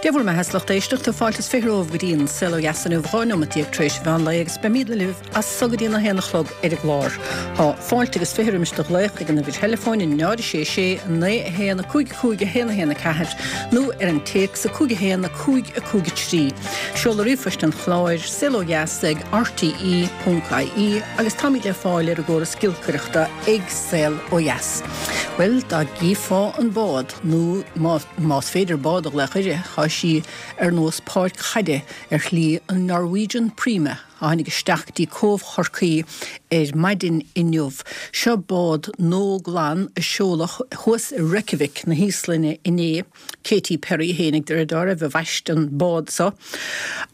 Dia bhur mbeatha, a lucht éisteachta, fáilte is 20 romhaibh go dtí an Saol Ó Dheas inniu, 12 neomat tar éis an mheán lae agus beimídne libh as so go dtí an 1 a chlog ar an gclár. Tá fáilte agus 20 roimis do ghlaoch ag an uimhir theileafóin 0 6 6 9 1 5 5 1 1 4 nó ar an téacs 5 1 5 5 3. Seoladh ríomhphoist an chláir, saolodheas ag rte.ie agus táimid le fáil ar an gcóras giolcaireachta ag Saol Ó Dheas. Bhuel, dá gcífeá an bád, nó más féidir bád a ghlaoch uirthi, tá sí ar nós páirc chaide ar shlí an Norwegian Prima a tháinig isteach go dtí Cóbh Chorcaí ar maidin inniu. Seo bád nua glan a seoladh thuas i Reykjavik na hÍoslainne inné. Katy Perry fhéinig de réir dealraimh a bhaist an bád so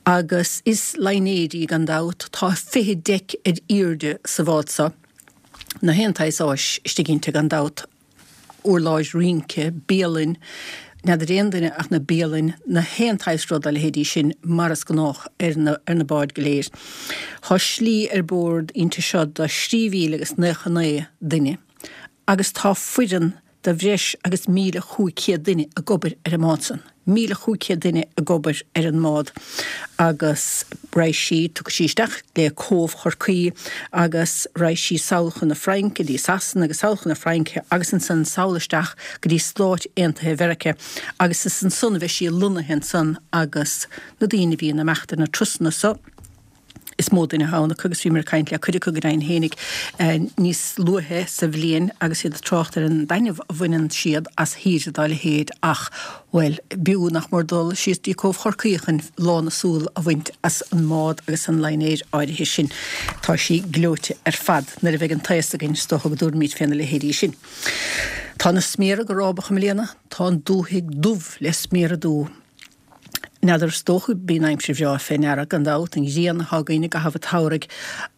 agus is línéir í gan dabht. Tá 20 deic ar aoirde sa bhád so. Na haon tsaghas áis istigh inti gan dabht, urláir rince, bialann, n'fheadar aon duine ach na bialainn, na haon tsaghas rud dá leithéidí sin mar is gnách ar na ar na báid go léir. Tá slí ar bord inti seo do 3,099 duine agus tá foireann de bhreis agus 1,500 duine ag obair ar an mbád san. 1,500 duine ag obair ar an mbád agus raghaidh sí, tiocfaidh sí isteach le Cóbh Chorcaí agus raghaidh sí sall chun na Fraince, dtí Sasana agus sall chun na Fraince agus ansan sall isteach go dtí Stáit Aontaithe Mheirice agus is ansan a bheidh sí lonnaithe ansan agus na daoine a bhíonn ag imeacht ar na turasanna so. Is mó duine atá ann acu agus bhíomar ag caint le cuid acu go deimhin fhéinig níos luaithe sa bhliain agus iad ag trácht ar an dtaitneamh a bhaineann siad as shaoire dá leithéid ach, bhuel, b'fhiú nach mór dul síos dtí Cóbh Chorcaí chun lán na súl a bhaint as an mbád agus an línéar áirithe sin. Tá sí gleoite ar fad. Nuair a bheidh an t-aos againn is dócha go dtabharfaimid féna leithéidí sin. Tá na sméara go rábach i mbliana, tá an dúthaigh dubh le sméara dubha. N'fheadar, is dócha, bíonn aimsir bhreá fé ndeara, gan dabht, an ghrian atá againn i gcaitheamh an tsamhraidh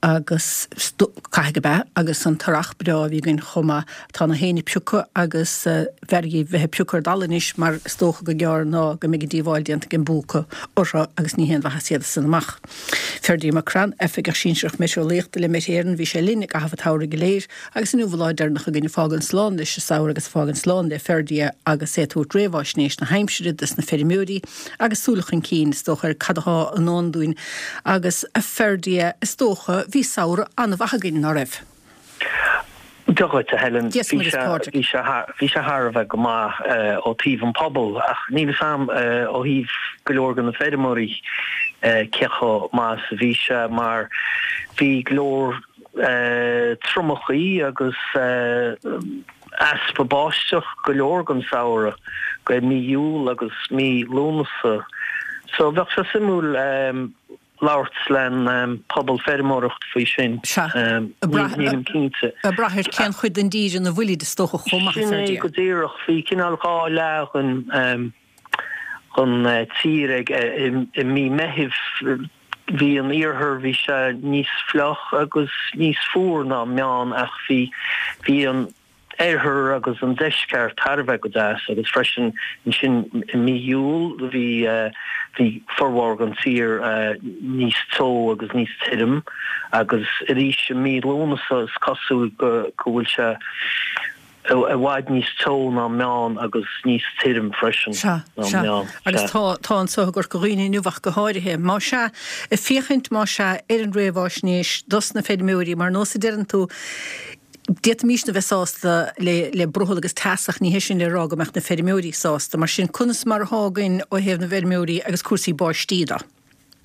agus, caithfidh gurb ea, agus an t-earrach breá a bhí againn chomh maith. Tá na héin ag piocadh agus b'fhearr dhíobh bheith ag piocadh ar dtalamh anois mar is dócha gur gearr ná go mbeidh an díobháil déanta ag an bpúca orthu agus ní haon mhaitheas iad san amach. Ferdia McCrann, Oifigeach Sinsearach Meitéareolaíochta le Met Éireann, bhí sé linn i gcaitheamh an tsamhraidh go léir. Agus inniu an lá deireanach againn ag fágaint slán leis an samhradh agus ag fágaint slán le Ferdia agus é ag tabhairt réamháisnéis na haimsire dos na feirmeoirí agus súil chun cinn is dócha ar cad athá i ndán dúinn. Agus a Ferdia, is dócha, bhí samhradh an-mhaith againn, ná raibh? Dia dhuit, a Helen. Dia 's Muire 's Pádraig. Bhí sé bhí sé thar a bheith go maith ó taobh an pobal ach níl fhios a'm ó thaobh go leor de na feirmeoirí cé chomh maith is a bhí sé mar bhí go leor triomachaí agus easpa báisteach go leor den samhradh, go mí Iúil agus mí Lúnasa. So bheadh sé suimiúil labhairt len pobal feirmeoireacht faoi sin. Sea. Nílim cinnte. Ag brath ar cén chuid den dtír ina bhfuilid is dócha chomh maith, Sin é go díreach. Bhí cineál 2 leath den tír ag i mí Meithimh. Bhí an iarthar, bhí sé níos fliuch agus níos fuar ná meán ach bhí, bhí an oirthear agus an deisceart thar a bheith go deas agus freisin ansin i mí Iúil bhí, bhí formhór den tír níos teo agus níos tirim agus arís i mí Lúnasa is cosúil go, go bhfuil sé, i bhfad níos teo ná meán agus níos tirim freisin Sea, ná sea. meán. Agus Sea. tá, tá anso i gCorca Dhuibhne inniu ach go háirithe. Más ea, ag féachaint, más ea, ar an réamháisnéis dos na feirmeoirí, mar nós a deireann tú, d'fhéadfaimísne a bheith sásta le, le brothall agus teas ach ní hé sin le rá go mbeadh na feirmeoirí sásta. Mar sin, conas mar athá againn ó thaobh na bhfeirmeoirí agus cúrsaí báistí de?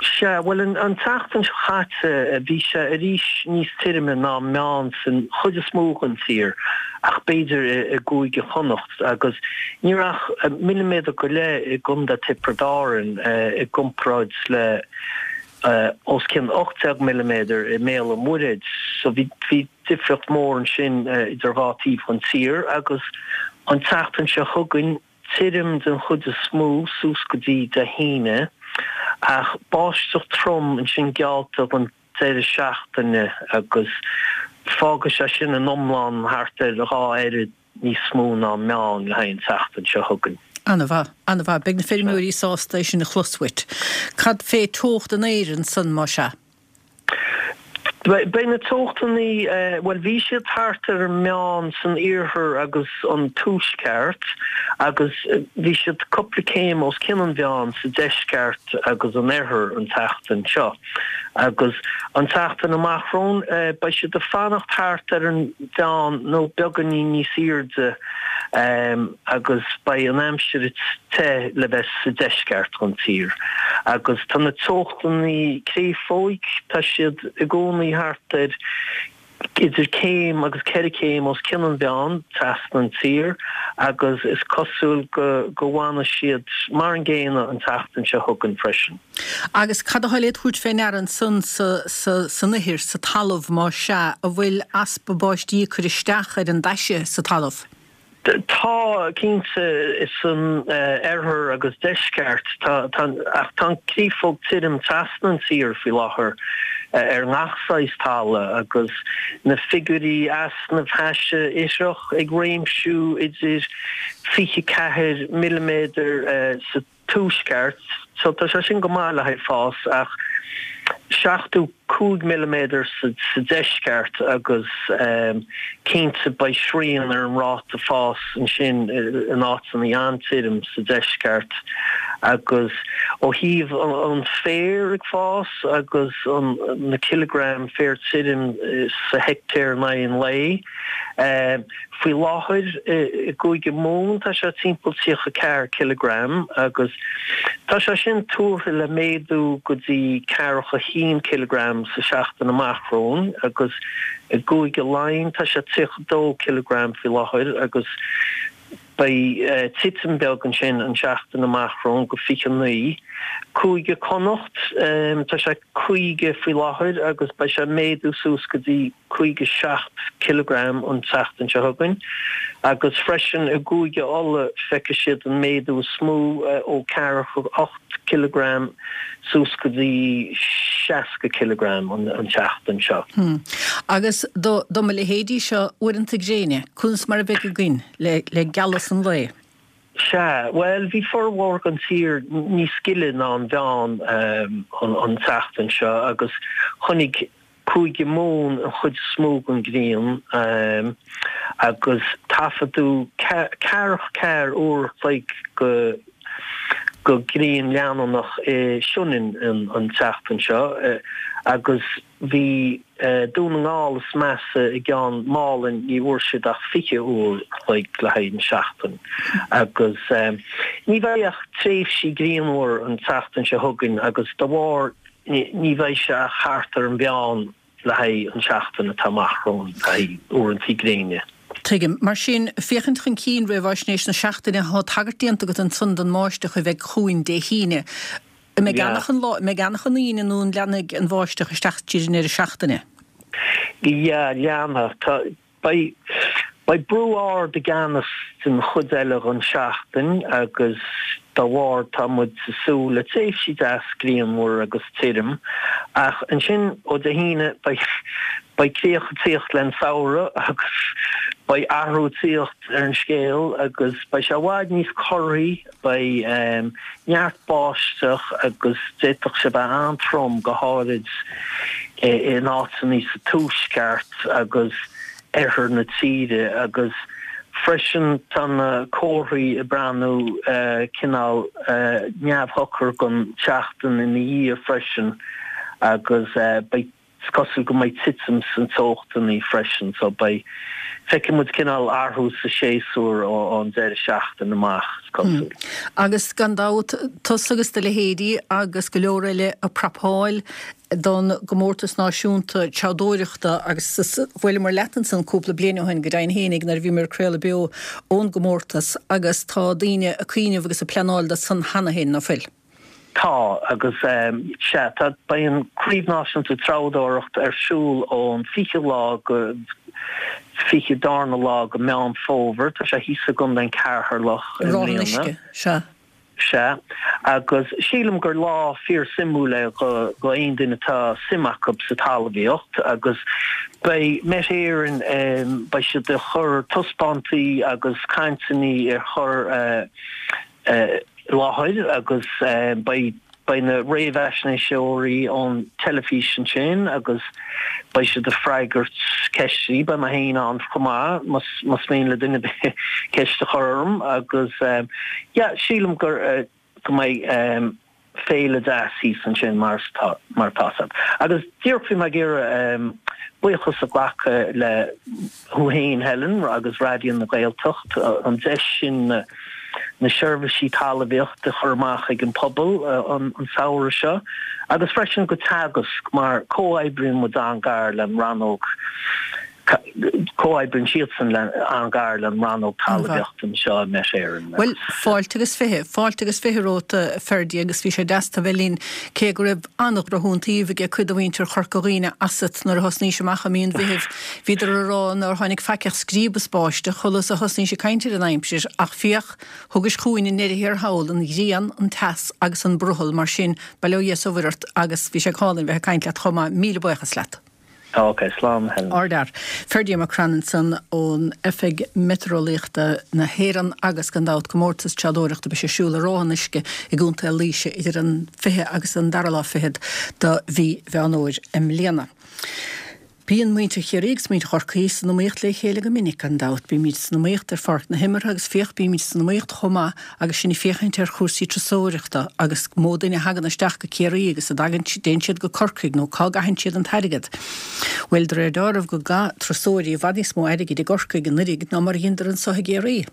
Sea, bhuel, an tseachtain seo chaite, bhí sé arís níos tirime ná meán san chuid is mó den tír, ach b'fhéidir i gCúige Chonnacht, agus ní raibh ach milliméadar go leith i gContae Tiobraid Árann i gcomparáid le os cionn 18 milliméadar i mBéal an Mhuirthead. So bhí difríocht mhór ansin idir dhá taobh den tír, agus an tseachtain seo chugainn, Tirim den chuid is mó suas go dtí Dé hAoine, ach báisteach trom ansin geallta don deireadh seachtaine agus fágfaidh sé sin in iomlán thart ar 2 oiread níos mó ná meán le haghaidh an tseachtain seo chugainn. An-mhaith, an-mhaith. Beidh na feirmeoirí sásta é sin a chlos uait. Cad fé teocht an aeir ansan, más ea? Beidh na teochtannaí, bhuel bhí siad thart ar an meán san iarthar agus an tuaisceart agus bhí siad cúpla céim os cionn an mheáin sa deisceart agus an oirthear an tseachtain seo. Agus an tseachtain amach romhainn beidh siad ag fanacht thart ar an mheán nó beagáinín níos airde agus beidh an aimsir te le bheith sa deisceart den tír. Agus tá na teochtannaí créafóig, tá siad i gcónaí thart ar idir céim agus ceithre chéim os cionn an mheáin trasna an tír agus is cosúil go go bhfanfaidh siad mar an gcéanna an tseachtain seo chugainn freisin. Agus cad atá le tabhairt fé ndeara ansan sa sa san ithir, sa talamh, más ea, an bhfuil easpa báistí ag cur isteach ar an dtaise sa talamh? Tá, cinnte, san oirthear agus deisceart. Tá, ach tá an créafóg tirim trasna an tír faoi láthair ar ngach saghas talamh agus na figiúirí easnaimh thaise ithreach ag réimsiú idir 24 milliméadar sa tuaisceart, so tá sé sin go maith le haghaidh fás, ach 75 milliméadar sa deisceart agus cinnte beidh srian ar an ráta fás ansin in áiteanna an-tirim sa deisceart agus ó thaobh an féar ag fás agus na cileagraim féar tirim sa heictéar in aghaidh an lae. Faoi láthair i gCúige Mumhan tá sé timpeall 34 cileagram agus tá sé sin tuartha le méadú go dtí 41 cileagram sa seachtain amach romhainn agus i gCúige Laighean tá sé 32 cileagram faoi láthair agus beidh titim beag ansin an seachtain amach romhainn go 29. Cúige Connacht tá sé 50 faoi láthair agus beidh sé ag méadú suas go dtí 57 cileagram an tseachtain seo chugainn agus freisin i gCúige Uladh feicfidh siad an méadú is mó ó 48 cileagram suas go dtí 60 cileagram an tseachtain seo. Agus do do mo leithéidí seo uaireanta gréine, conas mar a bheidh againn le le gealas an lae? Sea, bhuel bhí formhór den tír níos gile ná an mheán an tseachtain seo agus chonaic Cúige Mumhan an chuid is mó den ghrian agus taifeadadh ceathracha ceathair uair a chloig de ghrian leanúnach i Sionainn an tseachtain seo agus bhí Dún na nGall is measa i gCeann Málainn, ní bhfuair siad ach 20 uair a chloig le haghaidh an seachtain agus ní bheidh ach tréimhsí grianmhar an tseachtain seo chugainn agus dá bharr Ní bheidh sé ach thart ar an mheán le haghaidh an seachtain atá amach romhainn le haghaidh uaireanta gréine. Tuigim. Mar sin, féachaint chun cinn, réamhaisnéis na seachtaine, tá tagairt déanta agat ansan don mbáisteach a bheidh chugainn Dé hAoine. An mbeidh ann achan lá, an mbeidh ann achan Aoine nó an leanfaidh an bháisteach isteach tríd an ndeireadh seachtaine? Yeah, leanfaidh. Tá, Beidh beidh brú ard i gceannas den chuid eile den seachtain agus dá bharr tá muid ag súil le tréimhsí deas grianmhar agus tirim ach ansin ó Dé hAoine beidh beidh críoch ag tíocht len samhradh agus beidh athrú ag tíocht ar an scéal agus beidh sé i bhfad níos corraí. Beidh neart báisteach agus d'fhéadfadh sé bheith an-trom, go háirid in áiteanna sa tuaisceart agus oirthear na tíre agus freisin tá na comharthaí ag breathnú cineál neamhshocair don tseachtain ina dhiaidh freisin agus beidh Is cosúil go mbeidh titim sna teochtanna freisin so beidh, feicfidh muid cineál athrú sa séasúr ón deireadh seachtaine amach, is cosúil. Agus gan dabht, tusa agus do leithéidí agus go leor eile ag prapáil don gcomórtas náisiúnta treabhdóireachta agus bhuaileamar leat ansan cúpla bliain ó shin, go deimhin fhéinig, nuair a bhíomar ag craoladh beo ón gcomórtas agus tá daoine ag cuimhneamh agus ag pleanáil do san cheana féin, ná fuil? Tá, agus sea, tá, beidh an Craobh Náisiúnta Treabhdóireachta ar siúl ón 20 lá go 22 lá go Meán Fómhair. Tá sé thíos i gContae an Cheatharlach i mbliana. Ráth an Uisce, sea. Sea, agus sílim gur lá fíor suimiúil é do aon duine atá suim acu sa talmhaíocht agus beidh Met Éireann, beidh siad ag cur taispeántaí agus cainteanna ar chur i láthair agus beidh. Beidh na réamhaisnéiseoirí ón teilifís ansin agus beidh siad ag freagairt ceisteanna. Beidh mé féin ann chomh maith más mian le duine ar bith ceist a chur orm agus yeah sílim gur go mbeidh féile deas thíos ansin mar atá mar atá fhios agat. Agus díreach bhí mé ag iarraidh buíochas a ghlacadh le thú féin Helen agus Raidió na Gaeltacht an deis sin na na seirbhísí talmhaíochta a chur amach ag an pobal an samhradh seo agus freisin go Teagasc mar comhoibríonn muid an-gar le an rannóg comhoibríonn siadsan le an-gar le an rannóg talmhaíochta anseo i Met Éireann. Bhuel, fáilte agus fiche, fáilte agus fiche romhat a Ferdie agus bhí sé deas tu bheith linn cé go raibh an-dhrochiontaoibh aige cuid de mhuintir Chorca Dhuibhne asat nuair a thosnaís amach i mí an Mheithimh. Bhíodar a rá nár tháinig faic ach scríob as báisteach shula a thosnaís ag caint ar an aimsir ach féach, thugais chugainn i ndeireadh thiar thall an ghrian, an teas agus an brothall mar sin bail ó Dhia 's ó Mhuire ort agus bhí sé go hálainn bheith ag caint leat chomh maith. Míle buíochas leat. Ok, slán Helen. Ardfhear. Ferdie Mac Crann ansan ón Oifig Meitéareolaíochta na hÉireann agus gan dabht comórtas treabhdóireachta beidh sé ar siúl i Ráth an Uisce i gContae Laoise idir an 20 agus an dara lá fichead do mhí Mheán Fhómhair i mbliana. Bíonn muintir Chiarraí agus muintir Chorcaí san iomaíocht le chéile go minic gan dabht. Bímid san iomaíocht ar pháirc na himeartha agus féach bímid san iomaíocht chomh maith agus sinn ag féachaint ar chúrsaí turasóireachta agus mó duine a thagann isteach go Ciarraí agus a dtagann, dtéann siad go Corcaigh nó cá gcaitheann siad an t-airgead. Bhuel, de réir deáraimh go gcaith turasóirí i bhfad níos mó airgid i gCorcaigh anuiridh ná mar a dheineadar anso i gCiarraí.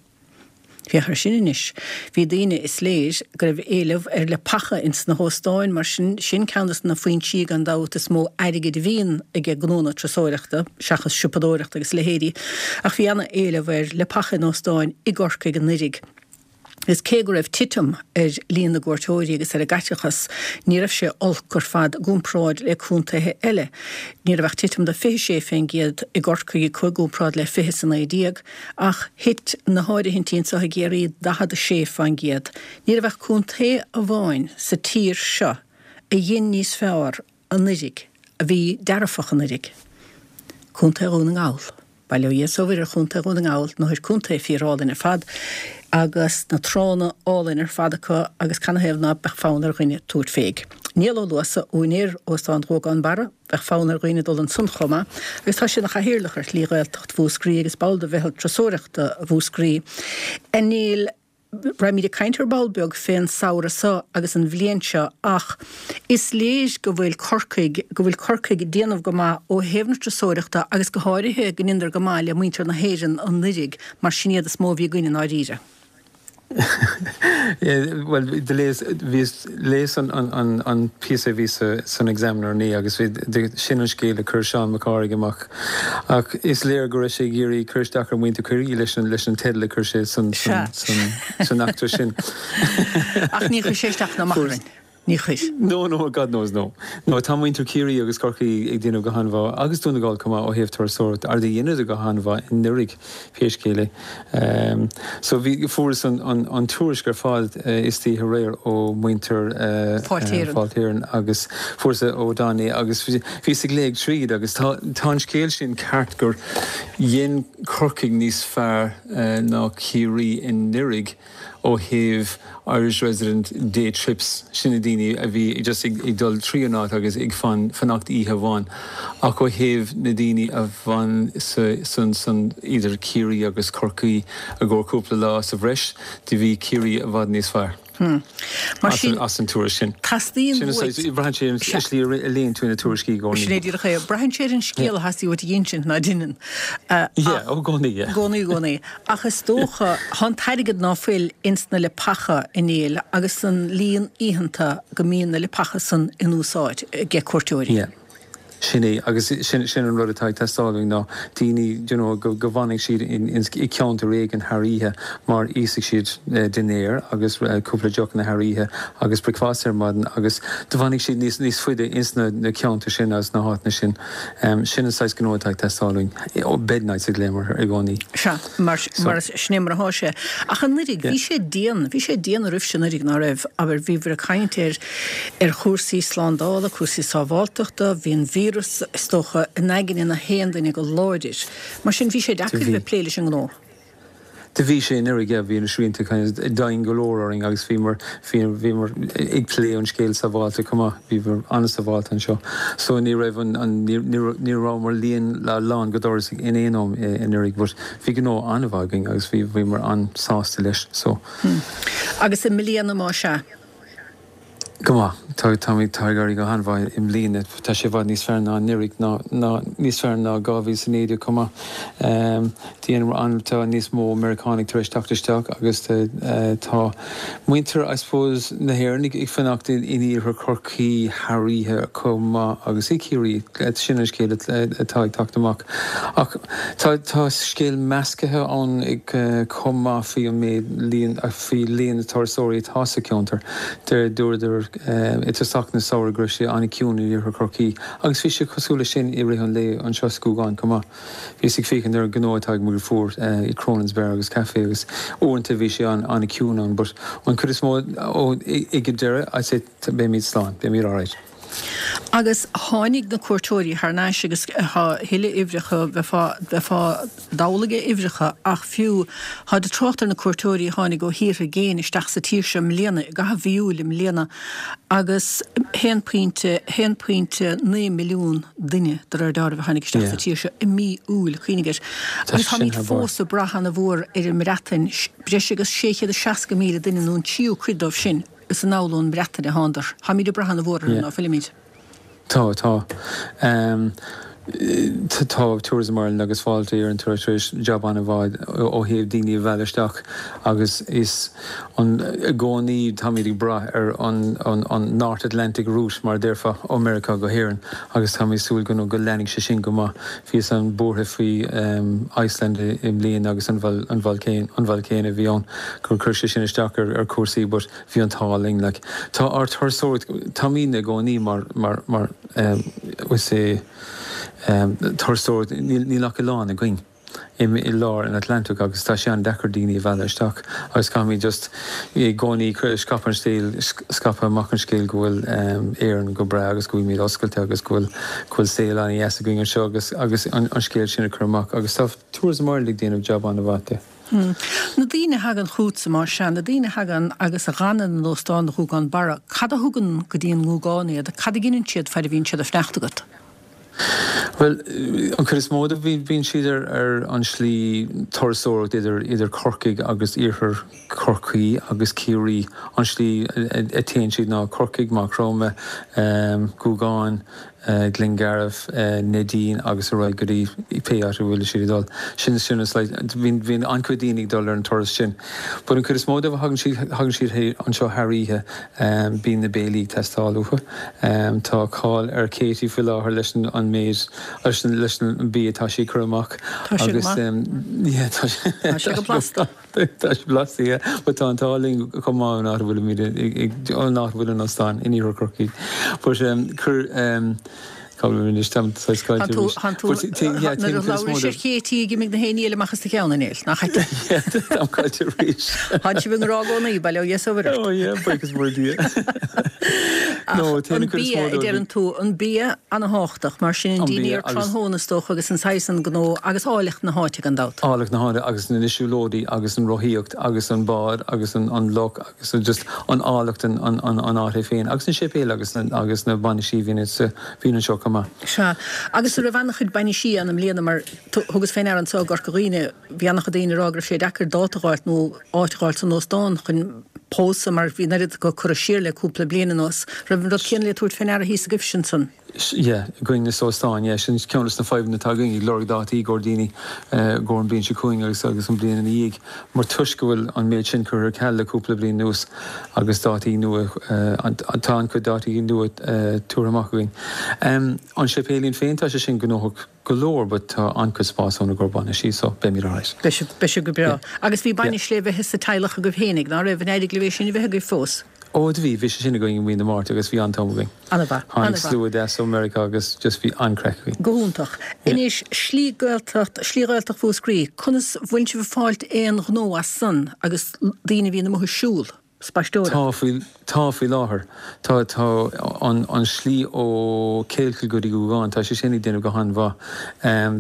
Féach air sin anois. Bhí daoine, is léir, go raibh éileamh ar leapacha ins na hóstáin, mar sin, sin ceann des na foinsí gan dabht is mó airgid a bhíonn aige gnónna turasóireachta, seachas siopadóireacht agus a leithéidí. Ach bhí ana-éileamh ar leapacha in óstáin i gCorcaigh anuiridh. Is cé go raibh titim ar líon na gcuairteoirí agus ar an gcaiteachas, ní raibh sé olc ar fad i gcomparáid le contaetha eile. Ní raibh ach titim de 26% i gCorcaigh i gcomparáid le 20 is 19, ach thit na háirithintí anseo i gCiarraí 46%. Ní raibh ach contae amháin sa tír seo a dhein níos fearr anuiridh, a bhí dearfach anuiridh. Contae Dhún na nGall. Bail ó Dhia 's ó Mhuire ar Chontae Dhún na nGall, nó ar contae fíor-álainn ar fad, agus na tránna álainn ar fad acu agus canathaobh ná beadh fonn ar dhuine tabhairt féig. Niall Ó Luasa, úinéir Óstán Ghuagán Barra, bheadh fonn ar dhaoine dul ansan chomh maith, agus tá sé ina chathaoirleach ar Shlí Ghaeltacht Mhúscraí agus ball de Mheitheal Turasóireachta Mhúscraí. A Néill. Raghaimid ag caint ar ball beag fén samhradh seo agus an bhliain seo ach is léir go bhfuil Corcaigh, go bhfuil Corcaigh ag déanamh go maith ó thaobh na turasóireachta agus go háirithe go ndeineadar go maith le muintir na hÉireann anuiridh mar sin iad is mó a bhí againn i ndáiríre. Bhuel, do léas, bhíos, léas an, an, an píosa a bhí sa, san Examiner inné agus bhí, sin an scéal a chuir Seán Mac Cárthaigh amach. Ach is léir go raibh sé ag iarraidh cur isteach ar mhuintir Chiarraí leis an leis an teideal a chuir sé san san eachtra sin. Ach ní chuir sé isteach ná amach orainn. Ní chuir. No, no, God knows no. No, tá muintir Chiarraí agus Corcaigh ag déanamh go han-mhaith agus Dún na nGall chomh maith ó thaobh turasóireachta, ar dheineadar go han-mhaith anuiridh pé scéal é. So bhí, fuaireas an an an tuairisc ar fad istoíche aréir ó mhuintir Fáilte Éireann. Fáilte Éireann agus fuaireas ó Don é agus bhíos ag léamh tríd agus tá tá an scéal sin ceart gur dhein Corcaigh níos fearr ná Ciarraí anuiridh ó thaobh Irish resident day trips, sin na daoine a bhí just ag dul trí an áit agus ag fanacht oíche amháin, ach ó thaobh na daoine a bhfan san san idir Ciarraí agus Corcaigh i gcomhair cúpla lá sa bhreis, do bhí Ciarraí i bhfad níos fearr. Mar sin, as an tuairisc sin. Teastaíonn Sin uait. is braitheann sé ar an slí a léann tú na tuairiscí i gcónaí. Sin é díreach é. Braitheann sé ar an scéal a theastaigh uait a dh'insint, ná deineann. Yeah, ó gcónaí, yeah. I gcónaí, i gcónaí. Ach is dócha, thá an t-airgead ná fuil ins na leapacha a Néill agus an líon oícheanta go mbíonn na leapacha san in úsáid age cuairteoirí. Yeah. Sin é, agus sin, sin an rud atá ag teastáil uainn ná daoine, you know, go, go bhfanfaidh siad in, in, i gceantar éigin thar oíche mar íosfaidh siad dinnéar agus cúpla deochanna thar oíche agus bricfeasta ar maidin agus do bhfanfaidh siad níos, níos faide ins na, na ceantair sin agus na háiteanna sin. Sin an saghas gnó atá ag teastáil uainn. Bed nights a ghlaomar i gcónaí. Sea, mar, mar sin é mar athá sé. Ach anuiridh, bhí sé dian, bhí sé dian oraibhse anuiridh, ná raibh? Abair, bhíobhair ag caint ar, ar chúrsaí slándála, cúrsaí sábháltachta, bhí an víreas, is dócha, in aigne na haon duine go láidir. Mar sin, bhí sé deacair a bheith ag plé leis an ngnó. Do bhí sé anuraidh, yeah, bhí na srianta kind of dian go leor orainn agus bhíomar, bhíomar ag plé an scéal sábháilte chomh maith, bhíomar an-sábháilte anseo. So ní raibh an, an, ní, ní rabhamar líon lán go doras in aon am anuraidh but bhí gnó an-mhaith againn agus bhí, bhíomar an-sásta leis, so. Agus i mbliana más ea? Go maith. Tá, táimid, tá ag éirí go han-mhaith i mbliana. Tá sé i bhfad níos fearr ná anuraidh, ná, ná níos fearr ná 2019 chomh maith. Déanamar an, tá níos mó Meiriceánaigh tar éis teacht isteach agus tá muintir, I suppose, na hÉireann ag fanacht in iarthar Chorcaí thar oíche chomh maith agus i Ciarraí. Sin an scéal atá ag teacht amach. Ach tá, tá scéal meascaithe ann chomh maith faoi an méid líon, faoi líon na turasóirí atá sa cheantar. Deir dúradar i dtosach na samhradh go raibh sé an-chiúin in iarthar Chorcaí agus bhí sé cosúil leis sin i rith an lae anseo sa Ghúgán chomh maith. Bhíos ag féachaint ar an ghnó atá ag mo dheirfiúr i Cronin's Bar agus Café agus uaireanta bhí sé an-chiúin ann but an chuid is mó ag an deireadh I'd say beimid slán, beimid alright. Agus tháinig na cuairteoirí thar n-ais agus tá a thuilleadh uimhreacha, bheifeá, bheifeá dodhlaigh uimhreacha ach fiú, táid ag trácht ar na cuairteoirí a tháinig ó thíortha i gcéin isteach sa tír seo i mbliana, i gcaitheamh mhí Iúil i mbliana agus haon pointe, 1.9 milliún duine de réir dealraimh a tháinig isteach sa tír seo i mí Iúil, cuimhnigh air. Agus táimid fós ag brath ana-mhór ar an mBreatain, breis agus 660,000 duine nó an tríú cuid dóibh sin, Is anall ón mBreatain a thándar. Táimid ag brath ana-mhór orthu, ná fuilimid? Tá, tá. Tá Tourism Ireland agus Fáilte Éireann tar éis jab an-mhaith ó thaobh daoine a mhealladh isteach agus is an, i gcónaí táimid ag brath ar an, an, an North Atlantic route mar a déarfá, ó Meiriceá go hÉirinn agus táimid ag súil go, go leanfaidh sé sin go maith. Bhíos an buartha faoi Iceland i mbliana agus an volcano, an volcano a bhí ann gur chuir sé sin isteach ar chúrsaí but bhí an t-ádh linn like. Tá ár turasóireacht, táimidne i gcónaí mar, mar, mar we say turasóireacht, níl, níl ach oileán againn i lár an Atlantic agus tá sé an-deacair daoine a mhealladh isteach agus caithfimid just i gcónaí scaipeadh an scéal, scaipeadh amach an scéal go bhfuil Éirinn go breá agus go bhfuilimid oscailte agus go bhfuil go bhfuil saol an-dheas againn anseo agus agus an scéal sin a chur amach agus tá Tourism Ireland ag déanamh jab an-mhaith de. Na daoine a thagann chugatsa, más ea, na daoine a thagann agus a dh'fhanann in Óstán an Ghúgáin Barra, cad a thugann go dtí an nGúgán iad? Cad a dheineann siad faid a bhíonn siad ag fanacht agat? Bhuel, an chuid is mó de, bíonn siad ar ar an slí turasóireacht idir idir Corcaigh agus iarthar Chorcaí agus Ciarraí. An slí a téann siad ná Corcaigh, Maigh Chromtha, Gúgán, Glengarriff, Neidín agus ar aghaidh go dtí pé áit a bhfuil siad ag dul. Sin sin is like bíonn bíonn an-chuid daoine ag dul ar an turas sin. But an chuid is mó dóibh a thagann siad thagann siad anseo thar oíche bíonn na béilí ag teastáil uathu. Tá cáil ar Katie faoi láthair leis an an méid leis an leis an bia atá sí ag cur amach Tá sé go maith. yeah tá sé Tá sé go blasta. Tá sé blasta, yeah. But tá an t-ádh linn chomh maith an áit a bhfuilimid, an áit a bhfuil an óstán in iarthar Chorcaí. But cuir, cá bhfuil mé anois, táim saghas Tá caillte tú, arís. tá tú, But yeah, nuair a téann cuid is mó labhraís de. ar Katie ag imigh na héinní eile amach as do cheann, a Néill, nach ait? Yeah, táim caillte arís. Tá sibh i ngrá i gcónaí, bail ó Dhia is ó Mhuire ort. Oh yeah, buíochas mór Dia. No, Ach téann an an cuid is bia, mó a dóibh. deireann tú, an bia ana-thábhachtach, mar sin an An bia dinnéar agus. tráthnóna is dócha agus an saghas an gnó agus áilleacht na háite gan dabht. Áilleacht na háite agus na siúlóidí agus an rothaíocht agus an bád agus an an loch agus an just an áilleacht an an an an áit é féin agus na séipéil agus na agus na bainisí a bhíonn sa bhíonn anseo chomh maith. Sea. Agus an raibh an-chuid bainisí ann i mbliana mar thugas fé ndeara anseo i gCorca Dhuibhne bhí an-chuid daoine ag rá go raibh sé deacair dáta a dh'fháilt nó áit a dh'fháilt san óstán chun pósadh mar bhí an oiread acu curtha siar le cúpla bliain anuas. Raibh an rud céanna le tabhairt fé ndeara thíos agaibhse ansan? Yeah, againn sa óstán, yeah, sin ceann des na fadhbanna atá againn, ag lorg dátaí i gcomhair daoine i gcomhair an bliain seo chugainn agus agus an bliain ina dhiaidh, mar toisc go bhfuil an méid sin curtha ar ceal le cúpla bliain anuas agus dátaí nua, tá an-chuid dátaí nua tabhartha amach againn. An séipéilín féin, tá sé sin gnóthach go leor but tá an-chuid spás ann i gcomhair bainisí so beimid alright. Beidh sibh, beidh sibh go breá. Agus bhí bainis le bheith sa teaghlach agaibh fhéinig, ná raibh? An éirigh libh é sin a bheith agaibh fós? Ó do bhí, bhí sé sin againn i mí na Márta agus bhí an-t-am againn. An-mhaith, Tháinig an-mhaith. slua deas ó Meiriceá agus just bhí an-craic againn. Go hiontach. Yeah. Anois, Slí Gaeltacht, Slí Ghaeltacht Mhúscraí, conas, bhfuil sibh ag fáilt aon ghnó as san agus daoine a bhíonn amuigh ag siúl? Spaisteoireacht. Tá faoi, tá faoi láthair. Tá, tá an, an slí ó Kealkill go dtí Gougane, tá sé sin ag déanamh go han-mhaith.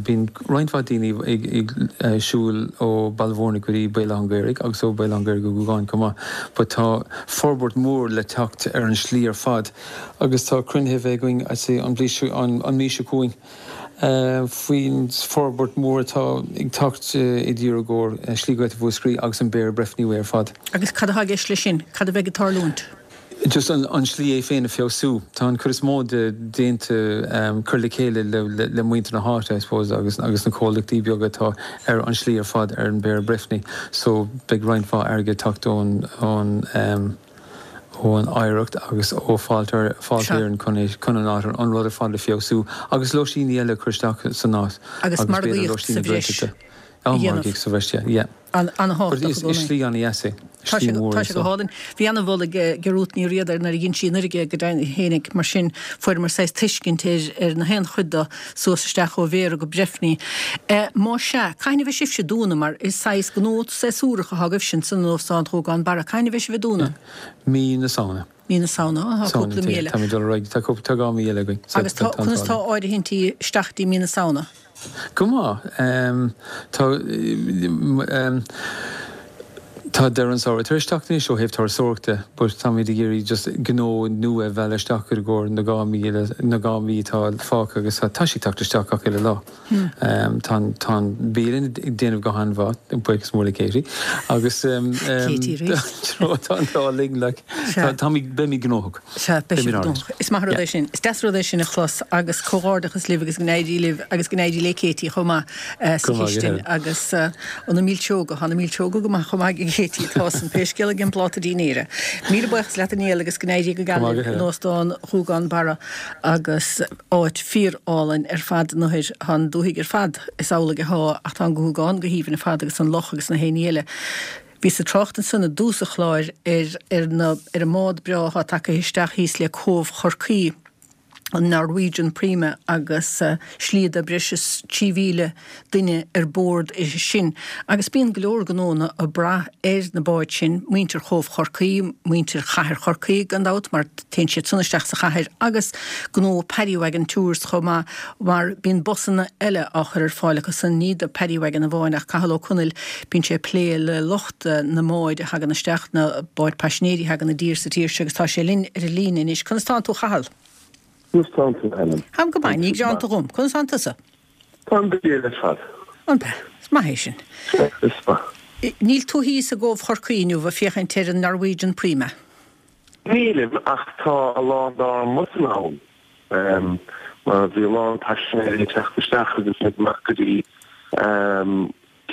Bíonn roinnt mhaith daoine ag, ag siúl ó Baile Mhúirne go dtí Béal Átha an Ghaorthaidh agus ó Béal Átha an Ghaorthaidh go Gougane chomh maith. But tá forbairt mhór le teacht ar an slí ar fad agus tá cruinnithe a bheith againn, I'd say, an bhliain seo, an, an mhí seo chugainn. faoin forbairt mhór atá ag teacht i dtír i gcomhair Slí Ghaeltacht Mhúscraí agus an Beara Breffni Way ar fad. Agus cad atá i gceist leis sin? Cad a bheidh ag tarlúint? Just an slí é féin a feabhsú. Tá an chuid is mó de déanta, cur le chéile le muintir na háite, I suppose, agus agus na comhlachtaí beaga atá ar an slí ar fad ar an Beara Breffni. So beidh roinnt mhaith airgid ag teacht ón ón. ón Oidhreacht agus ó Fáilte Sea. Éireann chun é, chun an áit, an rud ar fad a feabhsú agus lóistíní eile a chur isteach san áit Agus agus b'fhéidir margaíocht sa lóistíní bhreis Gaeltachta. a Á, dhéanamh. margaíocht sa bhreis, yeah, yeah. An, But an-thábhachtach i is, is gcónaí. slí an-dheas é, Tá slí sé, mhór tá é sé go so. hálainn. Bhí an-mholadh ag Ruth Ní Riada air nuair a dhein sí an Fharraige go deimhin fhéinig, mar sin fuaireamar saghas tuiscint ar, ar na haon chuid de suas isteach ó Bhéarra go Breifní. Má sea, cathain a bheidh sibhse ag dúnadh mar is saghas gnó séasúrach atá agaibhse ansan in Óstán Ghúgán Barra, cathain a bheidh sibh ag dúnadh? Mí na Samhna. Mí na Samhna, tá cúpla mí eile. Táimid ag dul ar aghaidh, tá cúpla, tá 2 mí eile againn. Agus tá, conas tá áirithintí isteach dtí mí na Samhna? Go maith. Tá, tá deireadh an samhradh tar éis teacht anois ó thaobh turasóireachta but táimid ag iarraidh just gnó nua a mhealladh isteach i gcomhair na 2 mí eile, na 2 mí atá fágtha agus tá sé ag teacht isteach gach uile lá. Tá an, tá an bialann ag déanamh go han-mhaith, buíochas mór le Katie, agus Katie arís. tá an t-ádh linn like, Sea. táimid, beimid gnóthach. Sea, beidh sibh Beimid alright. gnóthach. Is maith an rud é sin. Is deas an rud é sin a chlos agus comhghairdeachas libh agus go n-éirí libh agus go n-éirí le Katie chomh maith sa Go maith, chistin yeah. agus na milseoga, tá na milseoga go maith chomh maith ag Katie, tá san pé scéal ag an bpláta dinnéara. Míle buíochas leat a Néill agus go n-éirí go Go geal maith libh go in héireann. Óstán Ghúgán Barra agus áit fíor-álainn ar fad an áthair. Tá an dúthaigh ar fad, is amhlaidh athá, ach tá an Gúgán go haoibhinn ar fad agus an loch agus na haon ní eile. Bhíos ag trácht ansan i dtús an chláir ar ar na ar an mbád breá athá tagtha isteach thíos le Cóbh Chorcaí, an Norwegian Prima, agus slí do breis is 3,000 duine ar bord uirthi sin. Agus bíonn go leor gnónna ag brath ar na báid sin, muintir Chóbh Chorcaí, muintir chathair Chorcaí gan dabht mar téann siad san isteach sa chathair agus gnó Paddy Wagon Tours chomh maith mar bíonn busanna eile á chur ar fáil acu san, ní do Paddy Wagon amháin ach Cathal Ó Conaill, bíonn sé ag plé le lucht na mbáid a thagann isteach, na báid paisinéirí a thagann i dtír sa tír seo agus tá sé linn ar an líne anois. Conas tánn tú a Chathail? Conas tánn tú Helen? Táim go maith, ní gearánta dhom. Conas tánn tusa? Táim go diail ar fad. An ea? Is maith é sin. Sea, is maith. Níl tú thíos i gCóbh Chorcaí inniu ag féachaint ar an Norwegian Prima? Nílim, ach tá a lán dár mbusanna ann. Mar bhí a lán paisinéirí ag teacht isteach agus iad amach go dtí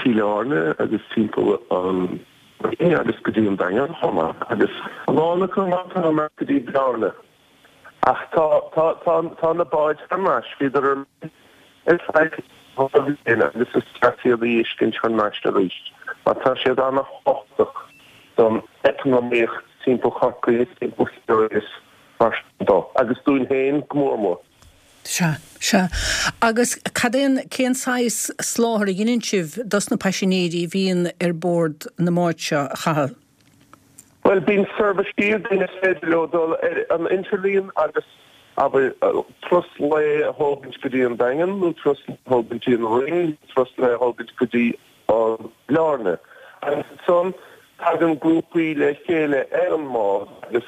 Cill Airne agus timpeall an Rinn agus go dtí an Daingean chomh maith, agus a lán acu amach go dtí Bearna. Ach tá, tá, tá, tá na báid thar n-ais, bhíodar ar mire ar feadh 2 bhliain agus is ceart iad a fheiscint thar n-ais arís mar tá siad ana-thábhachtach don eacnamaíocht timpeall Chorcaí is timpeall Chiarraí is mar sin dó, agus dúinn féin go mór mór. Sea, sea. Agus cad é an, cén saghas soláthar a dheineann sibh dos na paisinéirí a bhíonn ar bord na mbád seo, a Chathail? Bhuel, bíonn seirbhísí againn is féidir leo dul ar an idirlíon agus, abair, turas lae a thógaint go dtí an Daingean nó turas lae a thógaint go dtí an Rinn nó turas lae a thógaint go dtí an Baile Áirne. Agus ansan tagann grúpaí le chéile ar an mbád agus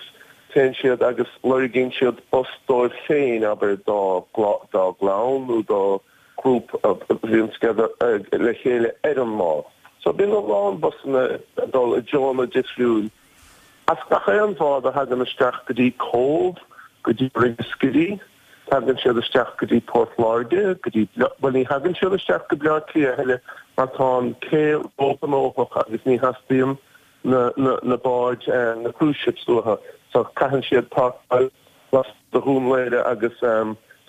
téann siad agus lorgaíonn siad bus dóibh féin, abair, dá gclann nó dá grúpa a bhíonn together le chéile ar an mbád. So bíonn a lán busanna ag dul i dtreonna difriúil as gach aon bhád a thagann isteach go dtí Cóbh, go dtí Ringaskiddy, tagann siad isteach go dtí Port Láirge, go dtí, bhuel ní thagann siad isteach go Bleá Cliath a thuilleadh mar tá an cé róghnóthach agus ní theastaíonn na, na, na báid, na cruise ships uathu so caitheann siad páirceáil lasmuigh de Dhún Laoghaire agus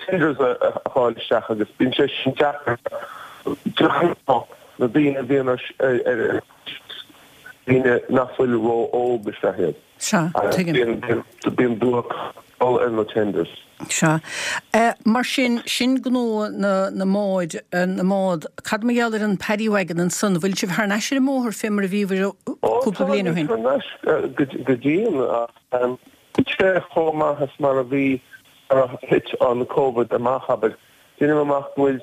tenders a fháil isteach agus bíonn sé sin deacair de ghnáth na daoine a bhíonn ar ar daoine nach bhfuil ró-óg is ea iad. Sea, tuigim. Bíonn bíonn dul ar na tenders. Sea. Mar sin, sin gnó na na mbád, na mbád. Cad mar gheall ar an Paddy Wagon ansan? Bhfuil sibh thar n-ais ar an mbóthar fé mar a bhíobhair cúpla bliain ó shin? Ó, táimid thar n-ais go dian ach níl sé chomh maith is mar a bhí nuair a thit an Covid amach, abair. Deinim amach go bhfuil,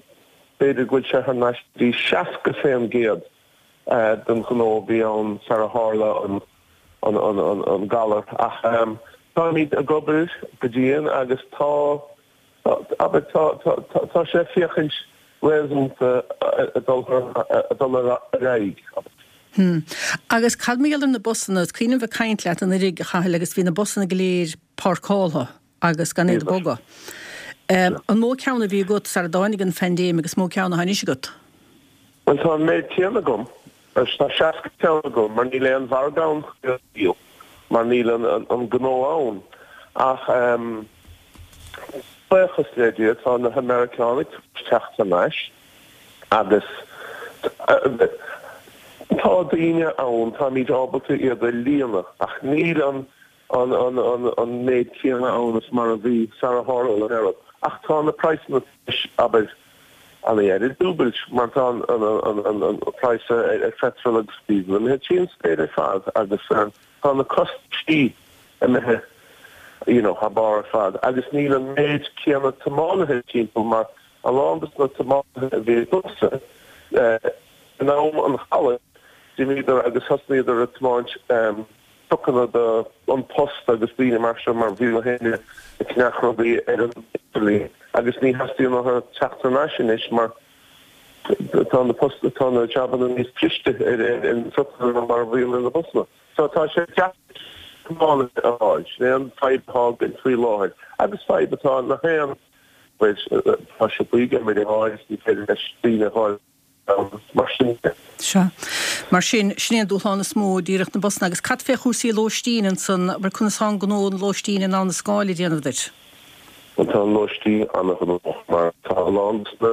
b'fhéidir go bhfuil sé thar n-ais go dtí 60% den ghnó a bhí ann sar a tharla an an galar. Ach táimid ag obair go dian agus tá, abair, tá sé ag féachaint réasúnta ag dul ar aghaidh, abair. Hm. Agus cad mar gheall ar na busanna? Is cuimhin liom bheith ag caint leat anuraidh, a Chathail, agus bhí na busanna go léir páirceáltha agus gan iad ag bogadh. An mó ceann a bhí agat sara dtáinig an phaindéim agus mó ceann atá anois agat? Bhuel, tá an méid céanna agam. Tá 60 ceann agam mar níl aon mhargadh ann chun iad a dhíol mar níl an gnó ann. Ach buíochas le Dia tá na hAmeiriceánaigh tar éis teacht thar n-ais agus tá daoine ann, táimid ábalta iad a líonadh ach níl an an méid céanna ann is mar a bhí sara tharla an rud. Ach tá na praghsanna tar éis, abair, an-oiread, dúbailt mar tá an praghas ar phetrol agus diesel imithe trín spéir ar fad agus tá na costaisí imithe you know thar barr ar fad agus níl an méid céanna tiománaithe timpeall mar a lán dos na tiománaithe a bhí agamsa in am an ghalair d'imíodar agus thosnaíodar ag tiomáint trucanna do An Post agus daoine mar seo mar bhí gach éinne ag ceannach rudaí ar an idirlíon agus ní theastaíonn uathu teacht thar n-ais anois mar tá na post tá na jabanna níos cliste ar ar na trucanna ná mar a bhíonn ar na busanna. So tá sé deacair tiománaithe a fháil. Sin é an fadhb atá againn faoi láthair agus fadhb atá ag gach aon tá siopaí ag iarraidh a fháil is ní féidir leis daoine a fháil Mar sin de. Sea. Mar sin, sin é an dúshlán is mó, díreach na busanna. Agus cad fé chúrsaí lóistín ansan? Abair, conas tá an gnó an lóistín in Abha na Scáil ag déanamh duit? Bhuel, tá an lóistín an-ghnóthach mar tá a lán dos na,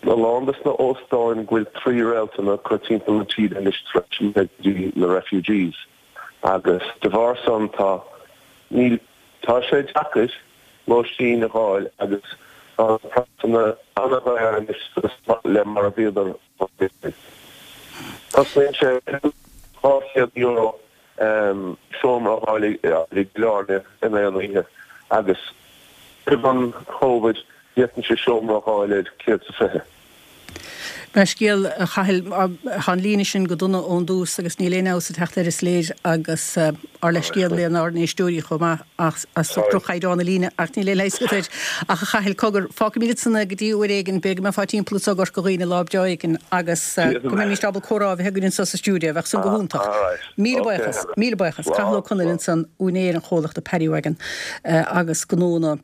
a lán dos na óstáin go bhfuil trí réalta acu timpeall na tíre anois tar éis imeacht go dtí na refugees agus de bharr san tá, níl, tá sé deacair. lóistín a dh'fháil agus tá na praghsanna an-dhaor anois suas le mar a bhíodar roimhe. Cosnaíonn sé €200 seomra a dh'fháil i gCill Airne in aon oíche agus roimh an Chóvid d'fhéadfainnse seomra a dh'fháil ar 120. Leithscéal, a Chathail, tá an líne sin go dona ón dtús agus níl aon fheabhas ag teacht air is léir agus ár leithscéal lenár n-éisteoirí chomh maith as ucht droch-chaighdeán na líne ach níl aon leigheas agat air. Ach a Chathail, cogar, fágfaimid ansan é go dtí uair éigin, b'fhéidir go mbeifeá timpeall anso i gCorca Dhuibhne lá breá éigin agus go mbeimíst ábalta comhrá a bheith againn anso sa stiúideo, bheadh san go hiontach. Míle buíochas, míle buíochas. Cathal Ó Conaill ansan, úinéir an chomhlachta Paddy Wagon agus gnó na.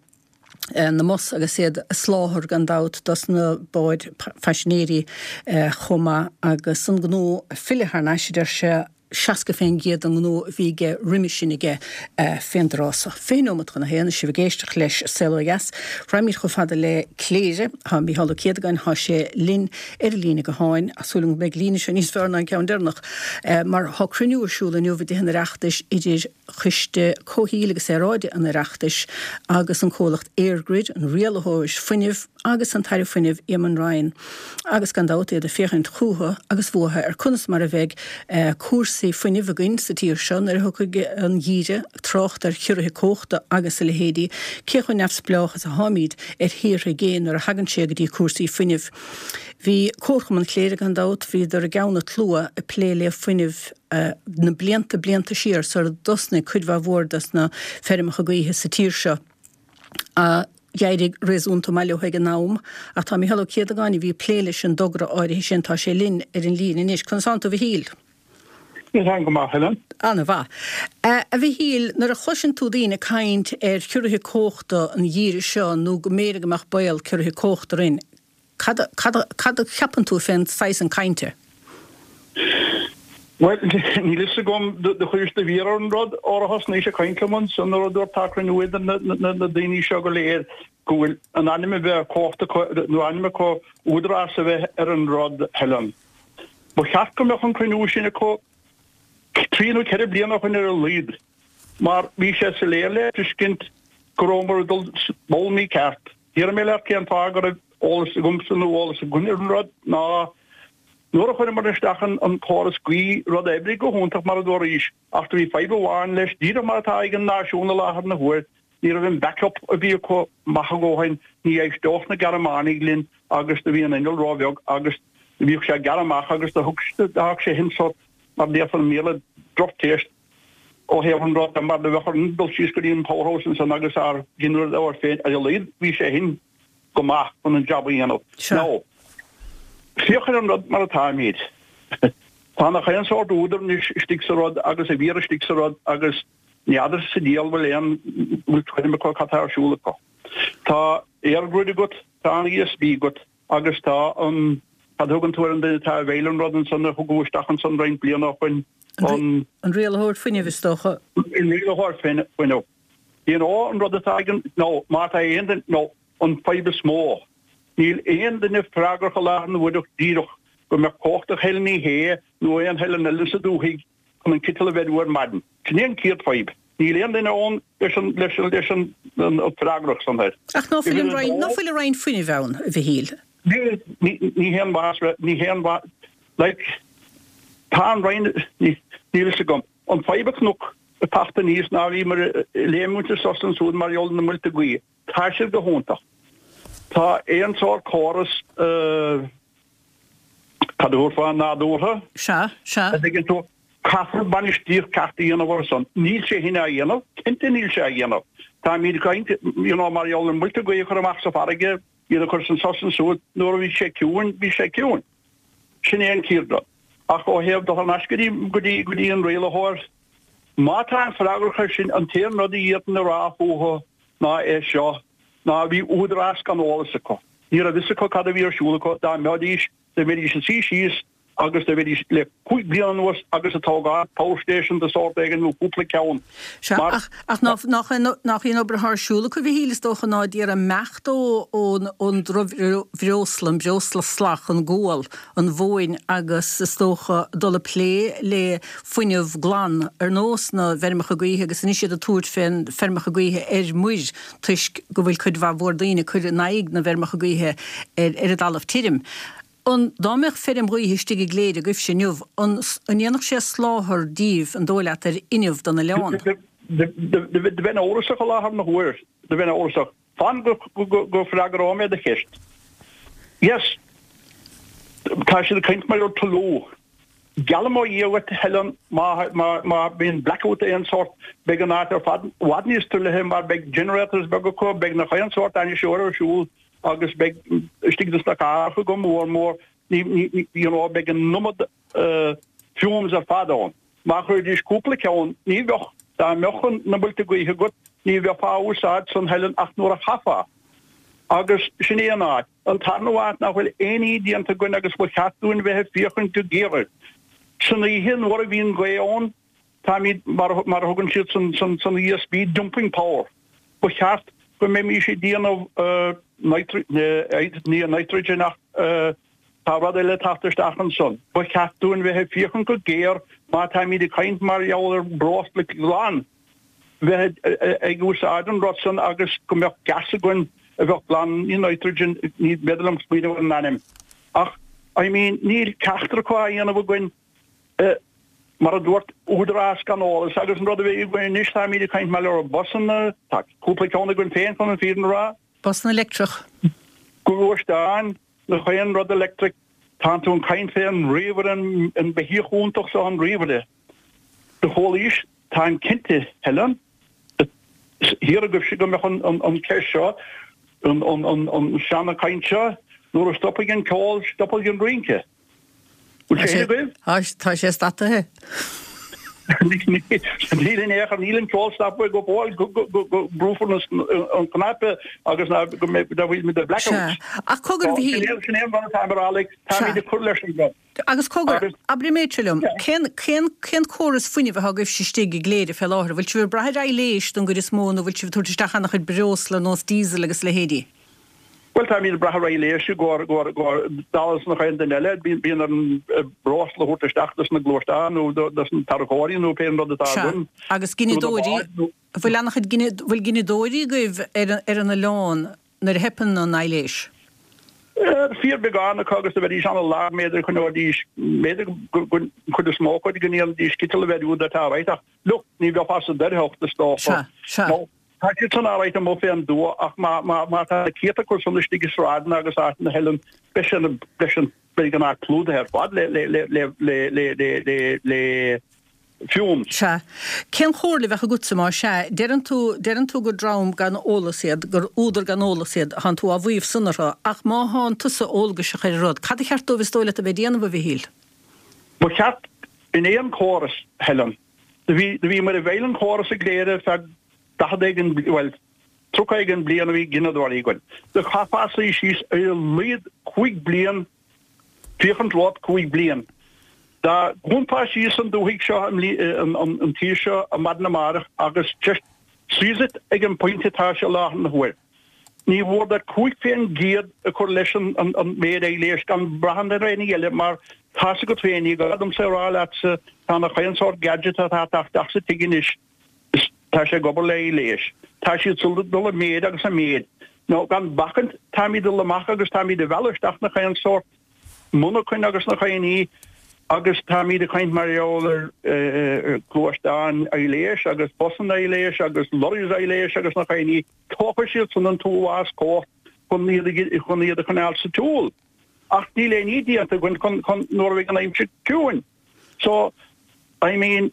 na mbus agus iad ag soláthar gan dabht dos na báid phaisinéirí chomh maith agus an gnó ag filleadh thar n-ais a deir sé, 60% den ngnó a bhí aige roimhe sin aige fén dtráth so. 20 nóimeat chun a haon, is sibh ag éisteacht leis Saol Ó Dheas. Raghaimid chomh fada le Cléire. Tá Mícheál Ó Céadagáin, tá sé linn ar an líne gutháin. Tá súil agam go mbeidh an líne seo níos fearr ná an ceann deireanach mar tá cruinniú ar siúl inniu i dTithe an Oireachtais idir Choiste Comhshaoil agus Aeráide an Oireachtais agus an comhlacht EirGrid, an rialaitheoir fuinnimh agus an tAire Fuinnimh Eamon Ryan agus gan dabht iad ag féachaint chúthu agus uathu ar conas mar a bheidh cúrsaí fuinnimh againn sa tír seo nuair a thiocfaidh an geimhreadh, trácht ar chiorruithe cumhachta agus a leithéidí, cé chomh neamhspleách is atháimid ar thíortha i gcéin nuair a thagann sé go dtí cúrsaí fuinnimh. Bhí Comharchumann Chléire gan dabht, bhíodar i gceann an tslua ag plé le fuinneamh. na blianta blianta siar sar a dtosnaigh cuid mhaith mhór des na feirmeacha gaoithe sa tír seo. D'éirigh réasúnta maith leo ag an am, ach tá Mícheál Ó Céadagáin, a bhí ag plé leis an dtogra áirithe sin, tá sé linn ar an líne anois. Conas tánn tú, a Mhichíl? Táim go maith, Helen. Ana-mhaith. A Mhichíl, nuair a chloiseann tú daoine ag caint ar chiorruithe cumhachta an gheimhreadh seo nó go mb'fhéidir go mbeadh baol ciorruithe cumhachta orainn, Cad, cad, cad a cheapann tú fén saghas san cainte? Bhuel, níl fhios agam do chuiris do mhéar ar an rud óir a thosnaís ag caint liom ansan nuair a dúirt tá cruinniú idir na daoine seo go léir go bhfuil an ainm a bheith cumhacht acu nó ainm acu údarás a bheith ar an rud, Helen. Ba cheart go mbeadh an cruinniú sin acu trí nó ceithre bliana ó shin ar a laghad. Mar bhí sé soiléir le tuiscint. Go rabhamar ag dul ball mícheart. Déarfaidh mé leat cén fáth go raibh eolas agamsa nó eolas againn ar an rud ná nuair a chuireamar isteach an córas gaoithe, rud a oibrigh go hiontach mar a dúraís, ach do bhí fadhb amháin leis, díreach mar atá ag an náisiún i láthair na huaire, ní raibh an backup a bhí acu maith a dhóthain, ní éisteodh na Gearmánaigh linn agus do bhí an inneall róbheag agus bhíodh sé ag gearradh amach agus do thug sé shin sórt, mar a déarfá i mBéarla, droch taste. ó thaobh an rud mar do bheadh orainn dul síos go dtí an powerhouse ansan agus ár nginearadóir féin ar a laghad bhí sé shin go maith chun an jab a dhéanamh. Sea. Now, féach ar an rud mar atáimid. Tá nach aon sórt údar anois istigh sa rud agus a mhiar istigh sa rud agus n'fheadar sa diabhal bhfuil aon bhfuil tuairim acu cad tá ar siúl acu. Tá EirGrid agat, tá an ESB agat, Agus tá an, cad a thugann tú ar an duine atá i bhfeighil an rud ansan a thugadh isteach ansan roinnt bliana ó shoin, an. An rialaitheoir fuinnimh, is dócha. An rialaitheoir fuinnimh. You know, an rud atá ag an, nó má tá aon duine, nó an fadhb is mó, níl aon duine freagrach i láthair na huaire díreach go mbeadh cumhacht ag Helen Ní Shé nó aon Helen eile sa dúthaigh chun an citeal a bheiriú ar maidin. Sin é an chéad fadhb. Níl aon duine ann leis an, leis an, leis an, an freagracht san air. Ach ná fuil an Roinn, ná fuil an Roinn Fuinnimh ann, a Mhichíl? Níl, ní, ní haon mhaith, ní haon mhaith, like, tá an Roinn, ní, níl fhios agam. An fadhb a chonac ag teacht aníos ná bhíomar ag léimúint suas ansúd mar gheall ar na muilte gaoithe. Tá siad go hiontach. Tá aon sórt córas, eh, Cad a thabharfá nádúrtha? Sea, sea. A dtuigeann tú, caithfear bainistíocht ceart a dhéanamh air san. Níl sé shin á dhéanamh, cinnte níl sé á dhéanamh. Táimid ag caint, you know, mar gheall ar muilte gaoithe a chur amach sa bhfarraige, iad a chur san sos ansúd, nuair a bhí sé ciúin, bhí sé ciúin. Sin é an chéad rud. Ach ó thaobh dul thar n-ais go dtí, go dtí, go dtí an rialaitheoir, má tá an freagrach air sin, an t-aon rud a d'fhéadfainn a rá fúthu ná é seo, ná bhí údarás gan eolas acu. Ní raibh fhios acu cad a bhí ar siúl acu, dá mbeidís, dá mbeidís ag suí síos agus dá mbeidís le 5 bliana anuas agus ag tógáil power station de sórt éigin nó cúpla ceann Sea, mar. ach, ach ná, nach, nach í an obair atá ar siúl acu, a Mhichíl, is dócha, ná d'iarraidh imeacht ó, ón, ón drochbhreosla, an breosla salach, an gual, an mhóin agus is dócha dul ag plé le fuinneamh glan ar nós na bhfeirmeacha gaoithe agus anois iad ag tabhairt fén feirmeacha gaoithe ar muir toisc go bhfuil cuid mhaith mhór daoine ag cur in aghaidh na bhfeirmeacha gaoithe ar ar an dtalamh tirim. An, dá mbeadh feirm ghaoithe istigh i gCléire agaibhse inniu, an an ndéanfadh sé soláthar díbh, an dóigh leat, ar fhuinneamh don oileán? Do bheinn amhrasach i láthair na huaire. Do bheinn amhrasach. Fan go go bhfreagróidh mé do cheist. Yes. Tá siad ag caint mar gheall ar toiliú. Geallaim ó Dhia dhuit, Helen, má má bhíonn blackout d'aon sórt, beidh an áit ar fad i bhfad níos truaillithe mar beidh generators beaga acu, beidh nach aon sórt ainniseoir ar siúl agus beidh istigh dos na cathracha go mór mór, ní, ní, you know, beidh an iomad fumes ar fad ann. Má chuiridís cúpla ceann, ní bheadh, dá mbeadh na muilte gaoithe agat, ní bheifeá á úsáid san Helen ach nuair a chaithfeá. Agus sin é an áit. An tarna áit nach bhfuil aon ní déanta againn agus ba cheart dúinn bheith ag féachaint go géar air. San oíche nuair a bhíonn gaoth ann, táimid, mar a thugann siad san ESB, dumping power. Ba cheart go mbeimís ag déanamh ní nitrogen ach tá rud eile ag teacht isteach ansan. Ba cheart dúinn bheith ag féachaint go géar má táimid ag caint mar gheall ar breosla glan. bheith ag úsáid an rud san agus go mbeadh gas againn a bheadh glan, ní nitrogen, ní féidir liom smaoineamh ar an ainm. Ach, I mean, níl ceachtar acu á dhéanamh againn, mar a dúirt údarás gan eolas agus an rud a bheidh againn anois, táimid ag caint mar gheall ar busanna, tá cúpla ceann againn féin chun an fírinne a rá. Busanna leictreach. Gluaisteáin, nach aon rud electric, tánn tú ag caint fé an ríomhaire, an beithíoch iontach seo an ríomhaire. Do chualaís, táim cinnte, Helen, thiar agaibhse go mbeadh an ceist seo, an seana-chaint seo, nuair a stopfaidh an ceol, stopfaidh an rince. Bhfuil sé sin agaibh? Tá sé stataithe. Níl in aon chor, níl an ceol stoptha go fóill go mbrúfar an cnaipe agus go mbeidh muid i blackout. Sea. Ach cogar, a Mhichíl. Sin é an rud atá mé a rá, like, táimid ag cur leis an rud. Agus cogar, abair an méid seo liom, cén, cén, cén córas fuinnimh atá agaibhse istigh i gCléire fé láthair? An bhfuil sibh ag brath ar aibhléis don gcuid is mó nó an bhfuil sibh ag tabhairt isteach an-chuid breosla ar nós diesel agus a leithéidí? Bhuel, táimid ag brath ar aibhléis i gcomhair dála is nach aon duine eile. Bíonn orainn breosla a thabhairt isteach dos na gluaisteáin nó dos na tarracóirí nó pé rud atá againn. Sea, agus gineadóirí, bhfuil an-chuid, bhfuil gineadóirí agaibh ar an oileán nuair a theipeann an aibhléis? Fíorbheagán acu agus do bheidís an-lag, b'fhéidir choinneoidís, b'fhéidir an chuid is mó acu go ndéanfaidís citeal a bheith úd atá right ach look, ní bheifeá sa doircheacht is dócha. Sea, sea. Tá siad san alright amuigh fén dtuath ach má, má, má tá na céadta acu san istigh i sráideanna agus áiteanna Helen, beidh sé, beidh sé, beidh an áit clúdaithe ar fad le, le, le, le, le, le, le, le, le fumes. Sea. Cén chomhairle a bheadh agatsa más ea? Deireann tú, deireann tú gur dream gan eolas iad, gur údar gan eolas iad, thánn tú á mhaíomh san orthu, ach má thánn tusa eolgaiseach ar an rud, cad a cheart dóibh is dóigh leat a bheith ag déanamh, a Mhichíl? Ba cheart, in aon chóras, Helen, do bhí, do bhíomar i bhfeighil an chóras i gCléire ar feadh 40 éigin, bhuel, 30 éigin bliain a bhí gineadóirí againn. Do chaithfeá suí síos ar a laghad chúig bliain Féachaint romhat chúig bliain. Dá dhúnfá síos an dúthaigh seo, an tír seo ar maidin amárach agus just freeze it ag an bpointe atá sé i láthair na huaire. Ní mhór duit 5% a chur leis an méid aibhléis gan brath ar aon ní eile mar tá's agat féin, ní gá domsa a rá leatsa, tá nach aon sórt gadget atá ag teacht isteach sa tigh anois is tá sé ag obair le aibhléis. Tá siad ag dul i méid agus i méid. Nó gan bacaint, táimid ag dul amach agus táimid ag mealladh isteach nach aon sórt monarchain agus nach aon ní agus táimid ag caint mar gheall ar ghluaisteáin aibhléis agus busanna aibhléis agus lorries aibhléis agus nach aon ní. Tógfaidh siad san an t-uafás cumhacht chun iad chun iad a choinneáil sa tsiúl. Ach níl aon ní déanta againn chun chun nuair a bheidh an aimsir ciúin. So, I mean,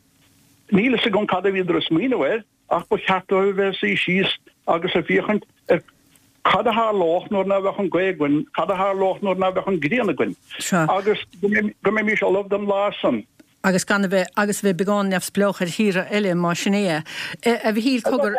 níl fhios agam cad a bhíodar ag smaoineamh air ach ba cheart dóibh a bheith ag suí síos agus ag féachaint ar cad a tharlódh nuair ná bheadh an ghaoth againn, cad a tharlódh nuair ná bheadh an ghrian againn agus go mbeimis ullamh don lá san. Agus gan a bheith, agus a bheith beagán neamhspleách ar thíortha eile, más sin é. A Mhichíl, cogar.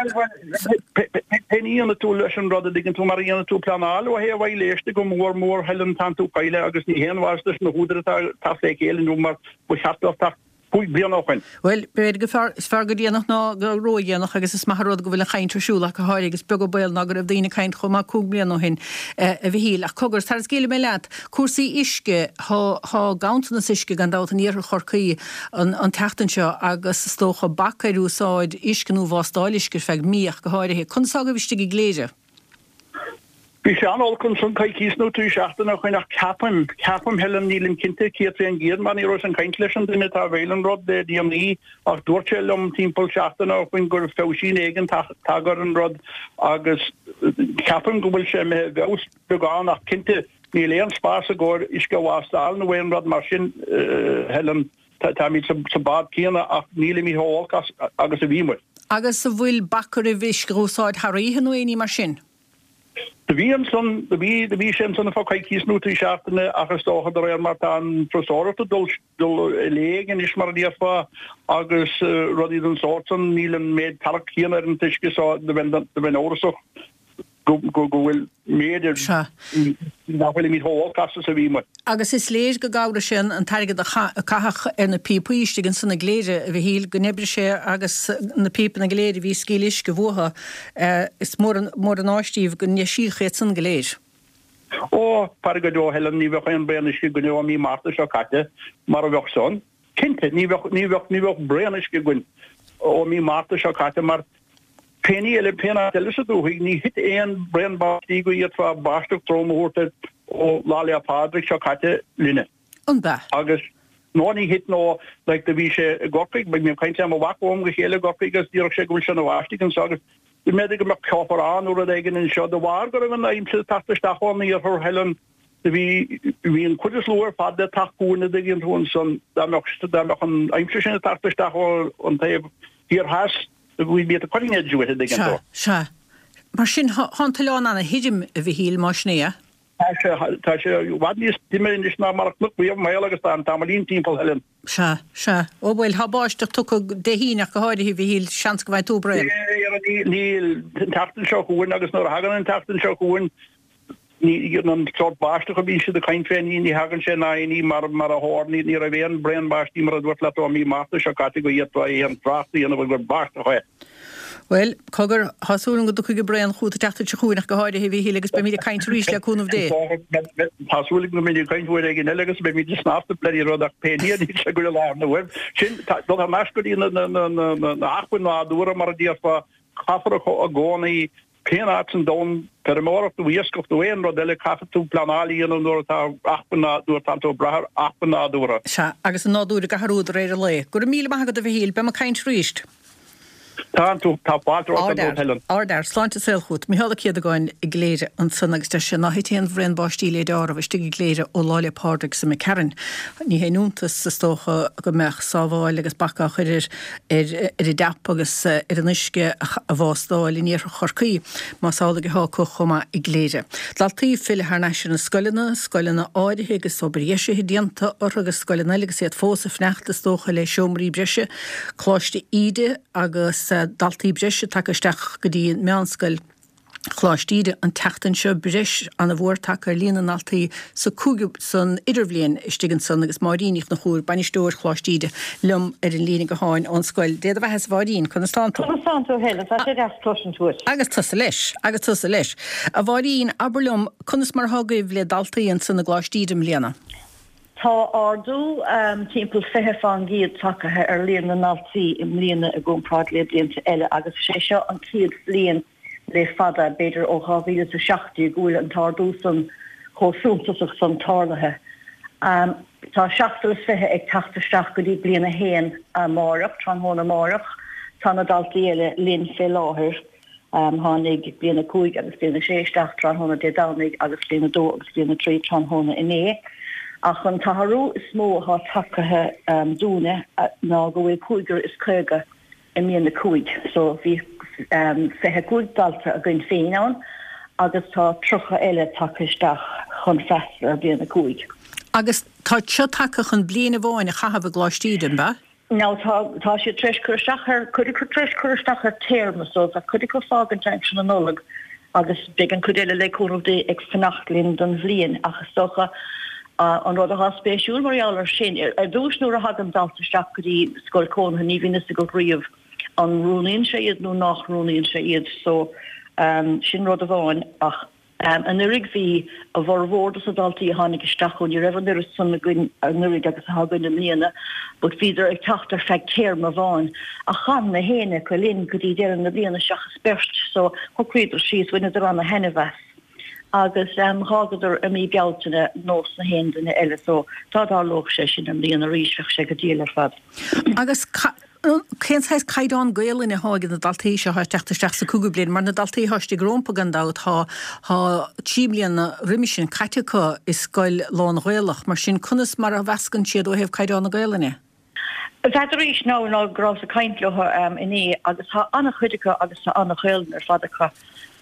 Pé ní a dhéanfaidh tú leis an rud a dtuigeann tú mar a dhéanfaidh tú pleanáil ó thaobh aibhléis de go mór mór Helen tánn tú caillte agus ní haon mhaitheas leis na húdair atá ag teacht le chéile inniu mar ba cheart dóibh teacht cúig bliana ó shoin. Bhuel, b'fhéidir gur fearr, is fearr go déanach ná go ródhéanach agus is maith an rud go bhfuil an chaint ar siúl ach go háirithe agus beag an baol ná go raibh daoine ag caint chomh maith cúig bliana ó shin, a Mhichíl. Ach cogar, tar is scaoilfidh mé leat, cúrsaí uisce, thá, thá ganntanas uisce gan dabht in iarthar Chorcaí an, an tseachtain seo agus is dócha bac ar úsáid uisce nó vástáil uisce ar feadh mí ach go háirithe. Conas tá agaibh istigh i gCléire? Bhí sé an-olc ansan coicíos nó trí seachtaine ó shoin ach ceapaim, ceapaim, Helen, nílim cinnte 100% mar ní rabhas ag caint leis an duine atá i bhfeighil an rud le déanaí ach dúirt sé liom timpeall seachtaine ó shoin go raibh feabhaisín éigin tagtha ar an rud agus ceapaim go bhfuil sé imithe i bhfeabhas beagán ach cinnte níl aon spás i gcomhair uisce a vástáil nó aon rud mar sin, Helen. Táimid sa bád céanna ach nílimid chomh holc agus a bhíomar. Agus an bhfuil bac oraibh uisce a úsáid thar oíche nó aon ní mar sin? Do bhí ansan, do bhí, do bhí sé ansan ar feadh coicíos nó trí seachtaine ach is dócha de réir mar tá an turasóireacht ag dul, dul i léig anois mar a déarfá agus rudaí den sórt san, níl an méid tarrac céanna ar an t-uisce so do bheinn, do bheinn amhrasach. go bhfuil méid ar nach bhfuilimid chomh holc as is a bhí muid. Agus is léir go gcabhraigh sé an t-airgead a caitheadh ar na píopaí istigh ansan i gCléire, a Mhichíl, go n-oibrigh sé agus na píopanna go léir a bhí ag scaoileadh uisce uathu, is mór an áis díobh go ndeisíodh iad san go léir. Ó, faire go deo, Helen, ní bheadh aon braon uisce againn ó mí Márta seo caite mara bheadh san. Cinnte, ní bheadh, ní bheadh, ní bheadh braon uisce againn ó mí Márta seo caite mar pé ní eile, pé áit eile sa dúthaigh, ní thit aon braon báistí go bhféadfá báisteach trom a thabhairt air ó Lá 'le Pádraig seo caite linne. An b'ea? Agus, no, ní thit, no, like, do bhí sé i gCorcaigh, bhí mé ag caint le mo mhac ó am go chéile i gCorcaigh agus déarfadh sé go bhfuil sé ina bháisteach anseo agus b'fhéidir go mbeadh ceofar ann nó rud éigin anseo de bharr go raibh an aimsir ag teacht isteach ón iarthar, Helen. Do bhí, bhí an chuid is lú ar fad le teacht chugainn a dtuigeann tú ansan, dá mbeadh, dá mbeadh an aimsir sin ag teacht isteach ó an taobh thiar theas, we'd be at the cutting edge with it a dtuigeann Sea, tú. sea. Mar sin, thá, thá an t-oileán ana-thirim, a Mhichíl, más sin é. Tá sé, tá sé i bhfad níos tirime anois ná mar a chonac riamh i mo shaol agus tá an tamaillín timpeall Helen. Sea, sea. Ó bhuel, thá báisteach tugtha Dé hAoine ach go háirithe, a Mhichíl, seans go bhfaighidh tú braon. Níl, an tseachtain seo chugainn agus nuair a thagann an tseachtain seo chugainn, Ní an sórt báisteach a bhíonn siad ag caint fé, ní thagann sé ná aon ní mar a tharla, ní raibh aon braon báistí mar a dúirt leat ó mí Márta seo caite go bhféadfá aon trácht a dhéanamh gur báisteach é. Bhuel, cogar, tá súil agam go dtiocfaidh an braon chugat an tseachtain seo chugainn ach go háirithe, a Mhíchíl, agus beimid ag caint arís le cúnamh Dé. Tá súil agam go mbeimid ag caint uair éigin eile agus beimid ag snámh sa bloody rud ach pé ní níl sé go i láthair na huaire. Sin, dul thar n-ais go dtí na hacmhainn nádúrtha mar a déarfá, caithfear i gcónaí Pén áit san domhan, feirmeoireacht nó iascach nó aon rud eile, caithfidh tú pleanáil a dhéanamh nuair atá acmhainn, nuair atánn tú ag brath ar acmhainn nádúrtha. Sea, agus an nádúr ag athrú de réir an lae. Go raibh míle maith agat a Mhichíl, beidh muid ag caint arís. Tá tú, tá fáilte romhat ar ndóigh, Helen. Ardfhear, sláinte is saol chugat. Micheál Ó Céadagáin i gCléire ansan agus deir sé ná thit aon bhraon báistí le deáramh istigh i gCléire ó Lá 'le Pádraig is imigh tharainn. Ní haon iontas, is dócha, go mbeadh sábháil agus bac á chur ar ar an dtap agus ar an uisce a bhástáil in iarthar Chorcaí, más amhlaidh atá acu chomh maith i gCléire. Daltaí ag filleadh thar n-ais ar na scoileanna, scoileanna áirithe agus obair dheisithe déanta orthu agus scoileanna eile agus iad fós ag fanacht is dócha le seomraí breise, Coláiste Íde agus daltaí breise tagtha isteach go dtí an meánscoil. Choláiste Íde an tseachtain seo, breis ana-mhór tagtha ar líon na ndaltaí sa cúigiú san idirbhliain istigh ansan agus Máirín Ní Chonchúir, bainisteoir Choláiste Íde, liom ar an líne gutháin ón scoil. Dé do bheatha-sa a Mháirín, conas tánn tú? Conas tánn tú Helen? Tá sé deas cloisint uait. Agus tusa leis, agus tusa leis. A Mháirín, abair liom, conas mar atá agaibh le daltaí ansan i gColáiste Íde i mbliana? Tá ardú timpeall 20% tagtha ar líon na ndaltaí i mbliana i gcomparáid le blianta eile agus is é seo an chéad bhliain le fada, b'fhéidir ó 2017, go bhfuil an t-ardú san chomh suntasach san tarlaithe. Tá 27 ag teacht isteach go dtí bliain a haon amáireach, tráthnóna amáireach. Tá na daltaí eile linn fé láthair. Tháinig bliain 5 agus bliain 6 isteach tráthnóna Dé Domhnaigh agus bliain 2 agus bliain 3 tráthnóna inné. Ach an t-athrú is mó atá tagtha dúinne ná go bhfuil cúigear is 50 i mbliain 5. So bhí 25 dalta againn féin ann agus tá 30 eile tagtha isteach chun freastal ar bhliain 5. Agus tá seo tagtha chun bliain amháin a chaitheamh i gColáiste Íde, an ea? Now tá, tá siad tar éis cur isteach ar, cuid acu tar éis cur isteach ar téarma so tá cuid acu ag fágaint aimsir na Nollag agus beidh an cuid eile le cúnamh Dé ag fanacht linn don bhliain ach is dócha an rud atá spéisiúil mar gheall ar sin, ar dtús nuair a thagann dalta isteach go dtí scoil cónaithe ní bhíonn fhios agat riamh an roghnaíonn sé iad nó nach roghnaíonn sé iad so sin rud amháin ach Anuraidh bhí a bhformhór dos na daltaí a tháinig isteach, ó ní raibh an oiread san againn anuraidh agus atá againn i mbliana, but bhíodar ag teacht ar feadh téarma amháin. Ach chan na héinne acu linn go dtí deireadh na bliana seachas beirt, so shocraíodar síos, bhaineadar ana thaitneamh as agus dh'fhágadar i mí Bealtaine nós na haon duine eile, so dá dtarlódh sé sin i mbliana arís bheadh sé go diail ar fad. Agus Cén saghas caighdeán Gaelainne atá ag na daltaí seo atá ag teacht isteach sa cúigiú bliain? Mar na daltaí atá istigh rompu gan dabht tá tá 3 bliana roimis sin caite acu i scoil lán-Ghaelach. Mar sin conas mar a mheascann siad ó thaobh caighdeán na Gaelainne? N'fheadar now ná go rabhas ag caint leo inné agus tá an-chuid acu agus tá an-Ghaelainn ar fad acu.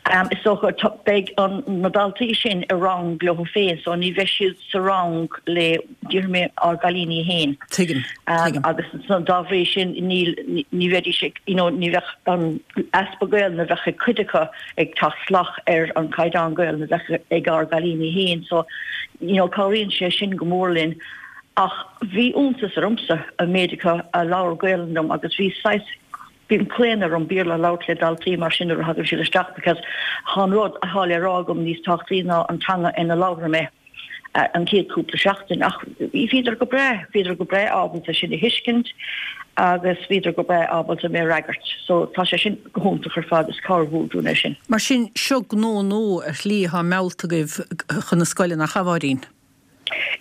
Is dócha beidh na daltaí sin i rang leo féin so ní bheidh siad sa rang le déarfaidh mé ár gcailíní féin. Tuigim. Tuigim. Agus dá bhrí sin níl ní bheidís ag you know ní bheadh an easpa Gaelainne a bheadh ag cuid acu ag teacht salach ar an caighdeán Gaelainne a bheadh ag ár gcailíní féin so you know cabhraíonn sé sin go mór linn. Ach bhí iontas ormsa an méid acu a labhair Gaelainn liom agus bhí saghas Bíonn claonadh orm Béarla a labhairt le daltaí mar sin nuair a thagann siad isteach because tá an rud atá le rá agam níos tábhachtaí ná an teanga ina labhraim é an chéad cúpla seachtain. Ach bhíodar go breá, bhíodar go breá ábalta sin a thuiscint agus bhíodar go breá ábalta mé a fhreagairt. So tá sé sin go hiontach ar fad, is cabhair mhór dúinn é sin. Mar sin, seo gnó nua ar shlí atá meallta agaibh chun na scoile, nach ea, a Mháirín?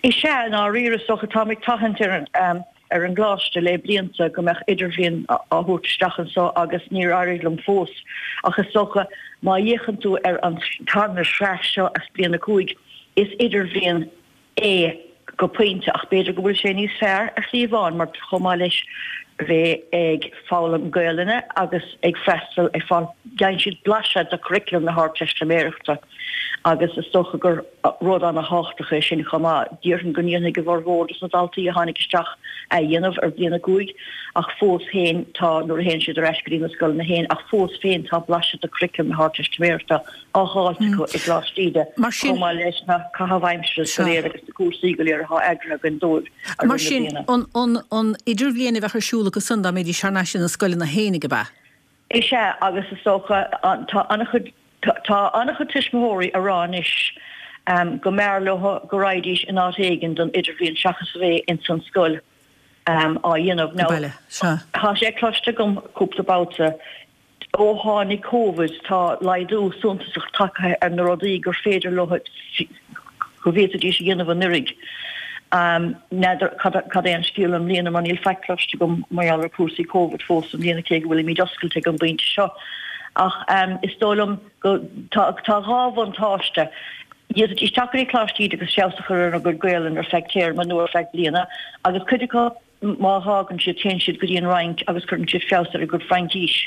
Is ea, i ndáiríre, is dócha. Táim ag tathant ar ar an gcoláiste le blianta go mbeadh idirbhliain á thabhairt isteach anseo agus níor éirigh liom fós. Ach is dócha, má fhéachann tú ar an tarna sraith seo as bliain 5, is idirbhliain é go pointe ach b'fhéidir go bhfuil sé níos fearr ar shlí amháin mar chomh maith leis bheith ag foghlaim Gaelainne agus ag freastal ag fáil, faigheann siad blaiseadh de churriculum na hArdteistiméireachta agus is dócha gur rud ana-thábhachtach é sin chomh maith. Déarfainn go ndéanfaidh a bhformhór dos na daltaí a tháinig isteach é a dhéanamh ar bhliain 5 ach fós féin tá, nuair a théann siad ar ais go dtí na scoileanna féin, ach fós féin tá blaiseadh de churriculum na hArdteistiméireachta á dh'fháilt acu i gColáiste Íde chomh maith leis na caitheamh aimsire go léir agus na cúrsaí go léir atá eagraithe againn dóibh i rith na bliana. Mar sin, an idirbhliain a bheadh ar siúl acu san dá mbeidís thar n-ais ina scoileanna féinig, ab ea? Is ea, agus is dócha, tá an-chuid, tá an-chuid tuismitheoirí a rá anois go mb'fhearr leo go raghaidís in áit éigin don idirbhliain seachas a bheith ins an scoil á dhéanamh. Now, tá sé cloiste agam cúpla babhta ó tháinig Covid tá laghdú suntasach tagtha ar na rudaí gur féidir leo, go bhféadfaidís a dhéanamh anuraidh. N'fheadar cad é an scéal i mbliana mar níl faic cloiste agam mar gheall ar chúrsaí Covid fós i mbliana cé go bhfuilimid oscailte ag an bpointe seo. Ach is dóigh liom go tá tá dhá bhuntáiste. D'fhéadfaidís teacht go dtí Coláiste Íde agus feabhas a chur ar a gcuid Gaelainne ar feadh téarma nó ar feadh bliana agus cuid acu má fhágann siad téann siad go dtí an Fhrainc agus cuireann siad feabhas ar a gcuid Fraincís.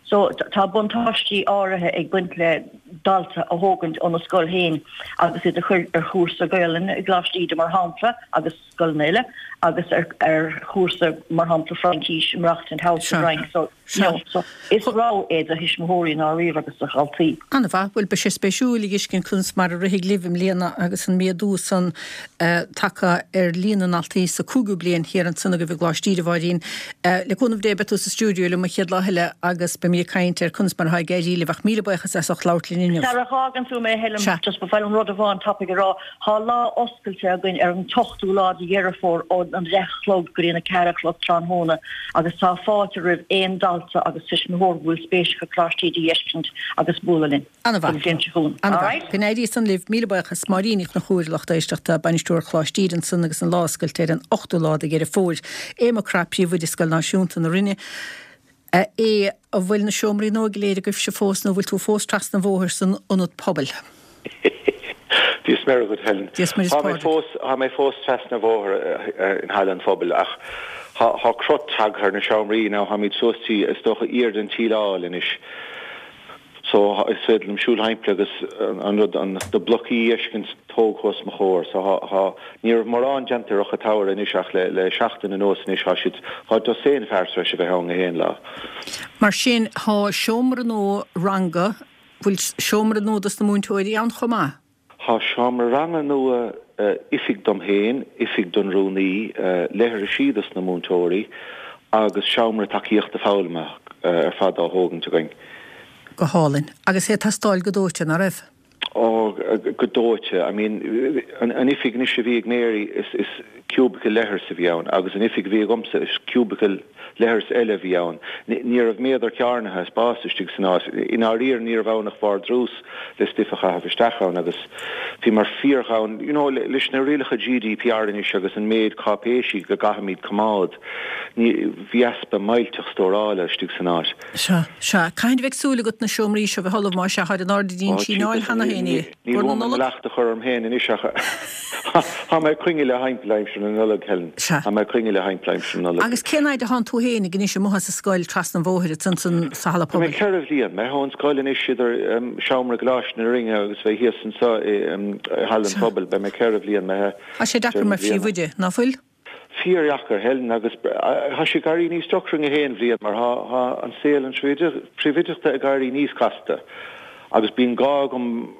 So tá buntáistí áirithe ag baint le dalta a thógaint óna scoil féin agus iad a chur ar chúrsa Gaelainne i gColáiste Íde mar shampla agus scoileanna eile agus ar ar chúrsa mar shampla Fraincís i maireachtaint thall sa Fhrainc. So you know so is rogha é do thuismitheoirí i ndáiríre agus do dhaltaí. An-mhaith. Bhuel beidh sé spéisiúil a dh'fheiscint conas mar a rithfidh libh i mbliana agus an méadú san tagtha ar líon na ndaltaí sa cúigiú bliain thiar ansan agaibh i gColáiste Íde, a Mháirín. Le cúnamh Dé beidh tú sa stiúideo liom an chéad lá eile agus beimid ag caint ar conas mar atá ag éirí libh ach míle buíochas as ucht labhairt linn inniu. Sara bhfágann tú mé, Helen, just ba mhaith liom rud amháin tapaidh a rá. Tá lá oscailte againn ar an t-ochtú lá de Dheireadh Fómhair ón 10 a chlog go dtí an 4 a chlog tráthnóna agus tá fáilte roimh aon dalta agus tuismitheoir go bhfuil spéis acu Coláiste Íde a dh'fheiscint agus bualadh linn don bhliain seo chugainn. An-mhaith. Go n-éirí san libh. Míle buíochas. Máirín Ní Chonchúir, lucht éisteachta, Bainisteoir Choláiste Íde ansan agus an lá oscailte ar an ochtú lá de Dheireadh Fómhair. Aodh Mac Craith, Príomhoide Scoil Náisiúnta na Rinne. A Aodh, an bhfuil na seomraí nua go léir agaibhse fós nó an bhfuil tú fós trasna an bhóthair san ionad pobail? Dia is Muire dhuit, Helen. Dia is Muire is Tá mé Pádraig. fós, tá mé fós trasna an bhóthair in Halla an Phobail ach thá, thá crot tagtha ar na seomraí now, tháimid suas tí, is dócha, iar den tsíleáil anois. So is féidir liom siúl thimpeall agus an rud, an, na blocaí a fheiscint tógtha os mo chomhair. So thá, thá, ní raibh mórán déanta ar Fhocha Teamhair anois ach le, le seachtain anuas anois thá siad, thá dosaen fear tar éis a bheith ann gach aon lá. Mar sin thá seomra nua ranga, bhfuil seomra nua dos na múinteoirí ann chomh maith? Tá seomra ranga nua, oifig dom féin, oifig don rúnaí, leithrisí dos na múinteoirí agus seomra tacaíochta foghlama ar fad á thógaint againn. Go hálainn. Agus é ag teastáil go dóite, ná raibh? Ó, go dóite. I mean, an oifig anois a bhí ag Mary, is cubicle leithris a bhí ann agus an oifig a bhí agamsa, is cubicle leithreas eile a bhí ann. Ní raibh méadar cearnaithe spáis istigh san áit. I ndáiríre ní raibh ann ach vardrús le stuif a chaitheamh isteach ann agus bhíomar fíorghann. You know, leis na rialacha GDPR anois agus an méid cáipéisí go gcaithfimid coimeád, ní, bhí easpa millteach stórála istigh san áit. Sea, sea. Cathain a bheidh súil agat na seomraí seo bheith ullamh, má sea, tháid in airde an tsíneáil cheana féin é. Níl Bhur na uaim an Nollag? leacht a chur orm féin anois ach tá mé ag coinneáil thimpeall aimsir na Nollag, Helen. Sea. Tá mé ag coinneáil thimpeall aimsir na Nollag. Agus cén fhaid a thánn tú féinig anois amuigh as an scoil trasna an bhóthair ansan san sa halla Tá mé pobail? 4 bhliain. Mé ón scoil anois idir seomra i gColáiste na Rinne agus bheith thíos anseo i Halla an Sea. Phobail. Beidh mé 4 bhliain mé Tá sé deacair deireadh na mar bliana. phríomhoide, ná fuil? Fíordheacair, Helen, agus tá sé ag éirí níos deacra gach aon bhliain mar tá an saol an phríomhoideachta ag éirí níos casta agus bíonn gá agam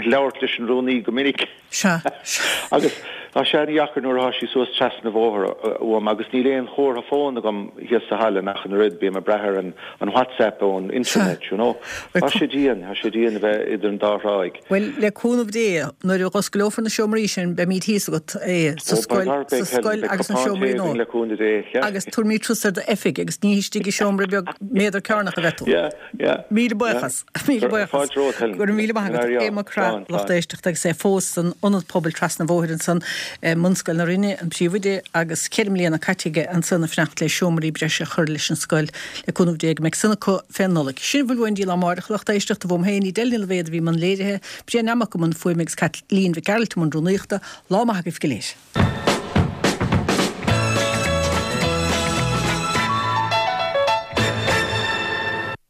labhairt leis an rúnaí go minic. Sea, sea. Agus tá sé an-dheacair nuair atá sí suas trasna an bhóthair uaim agus níl aon chomhartha fóin agam thíos sa halla ach an oiread, bím ag brath ar an WhatsApp ón internet, you know. Tá sé dian, tá sé dian a bheith idir an dá thráigh. Bhuel, le cúnamh Dé, nuair a dh'osclófar na seomraí sin, beimíd thíos agat, é, sa scoil, sa scoil agus na seomraí nua. Agus tabharfaimíd turas ar d'oifig agus ní histigh i seomra beag méadar cearnach a bheidh tú. Míle buíochas. Míle buíochas. Go raibh míle maith agat. Aodh Mac Craith, lucht éisteachta, agus é fós san Ionad Pobail trasna an bhóthair ansan i mBunscoil na Rinne, an príomhoide, agus 4 mbliana caite aige ansan ag fanacht le seomraí breise a chur leis an scoil. Le cúnamh Dé go mbeidh san acu fén Nollaig. Sin a bhfuil uainn go dtí lá amáireach, a lucht éisteachta, uaim féin, Edel Ní Loibhéad a bhí i mbun léirithe, Brian Nammock i mbun fuaime agus Caitlín Mhic Gearailt i mbun rúnaíochta. Lá maith agaibh go léir.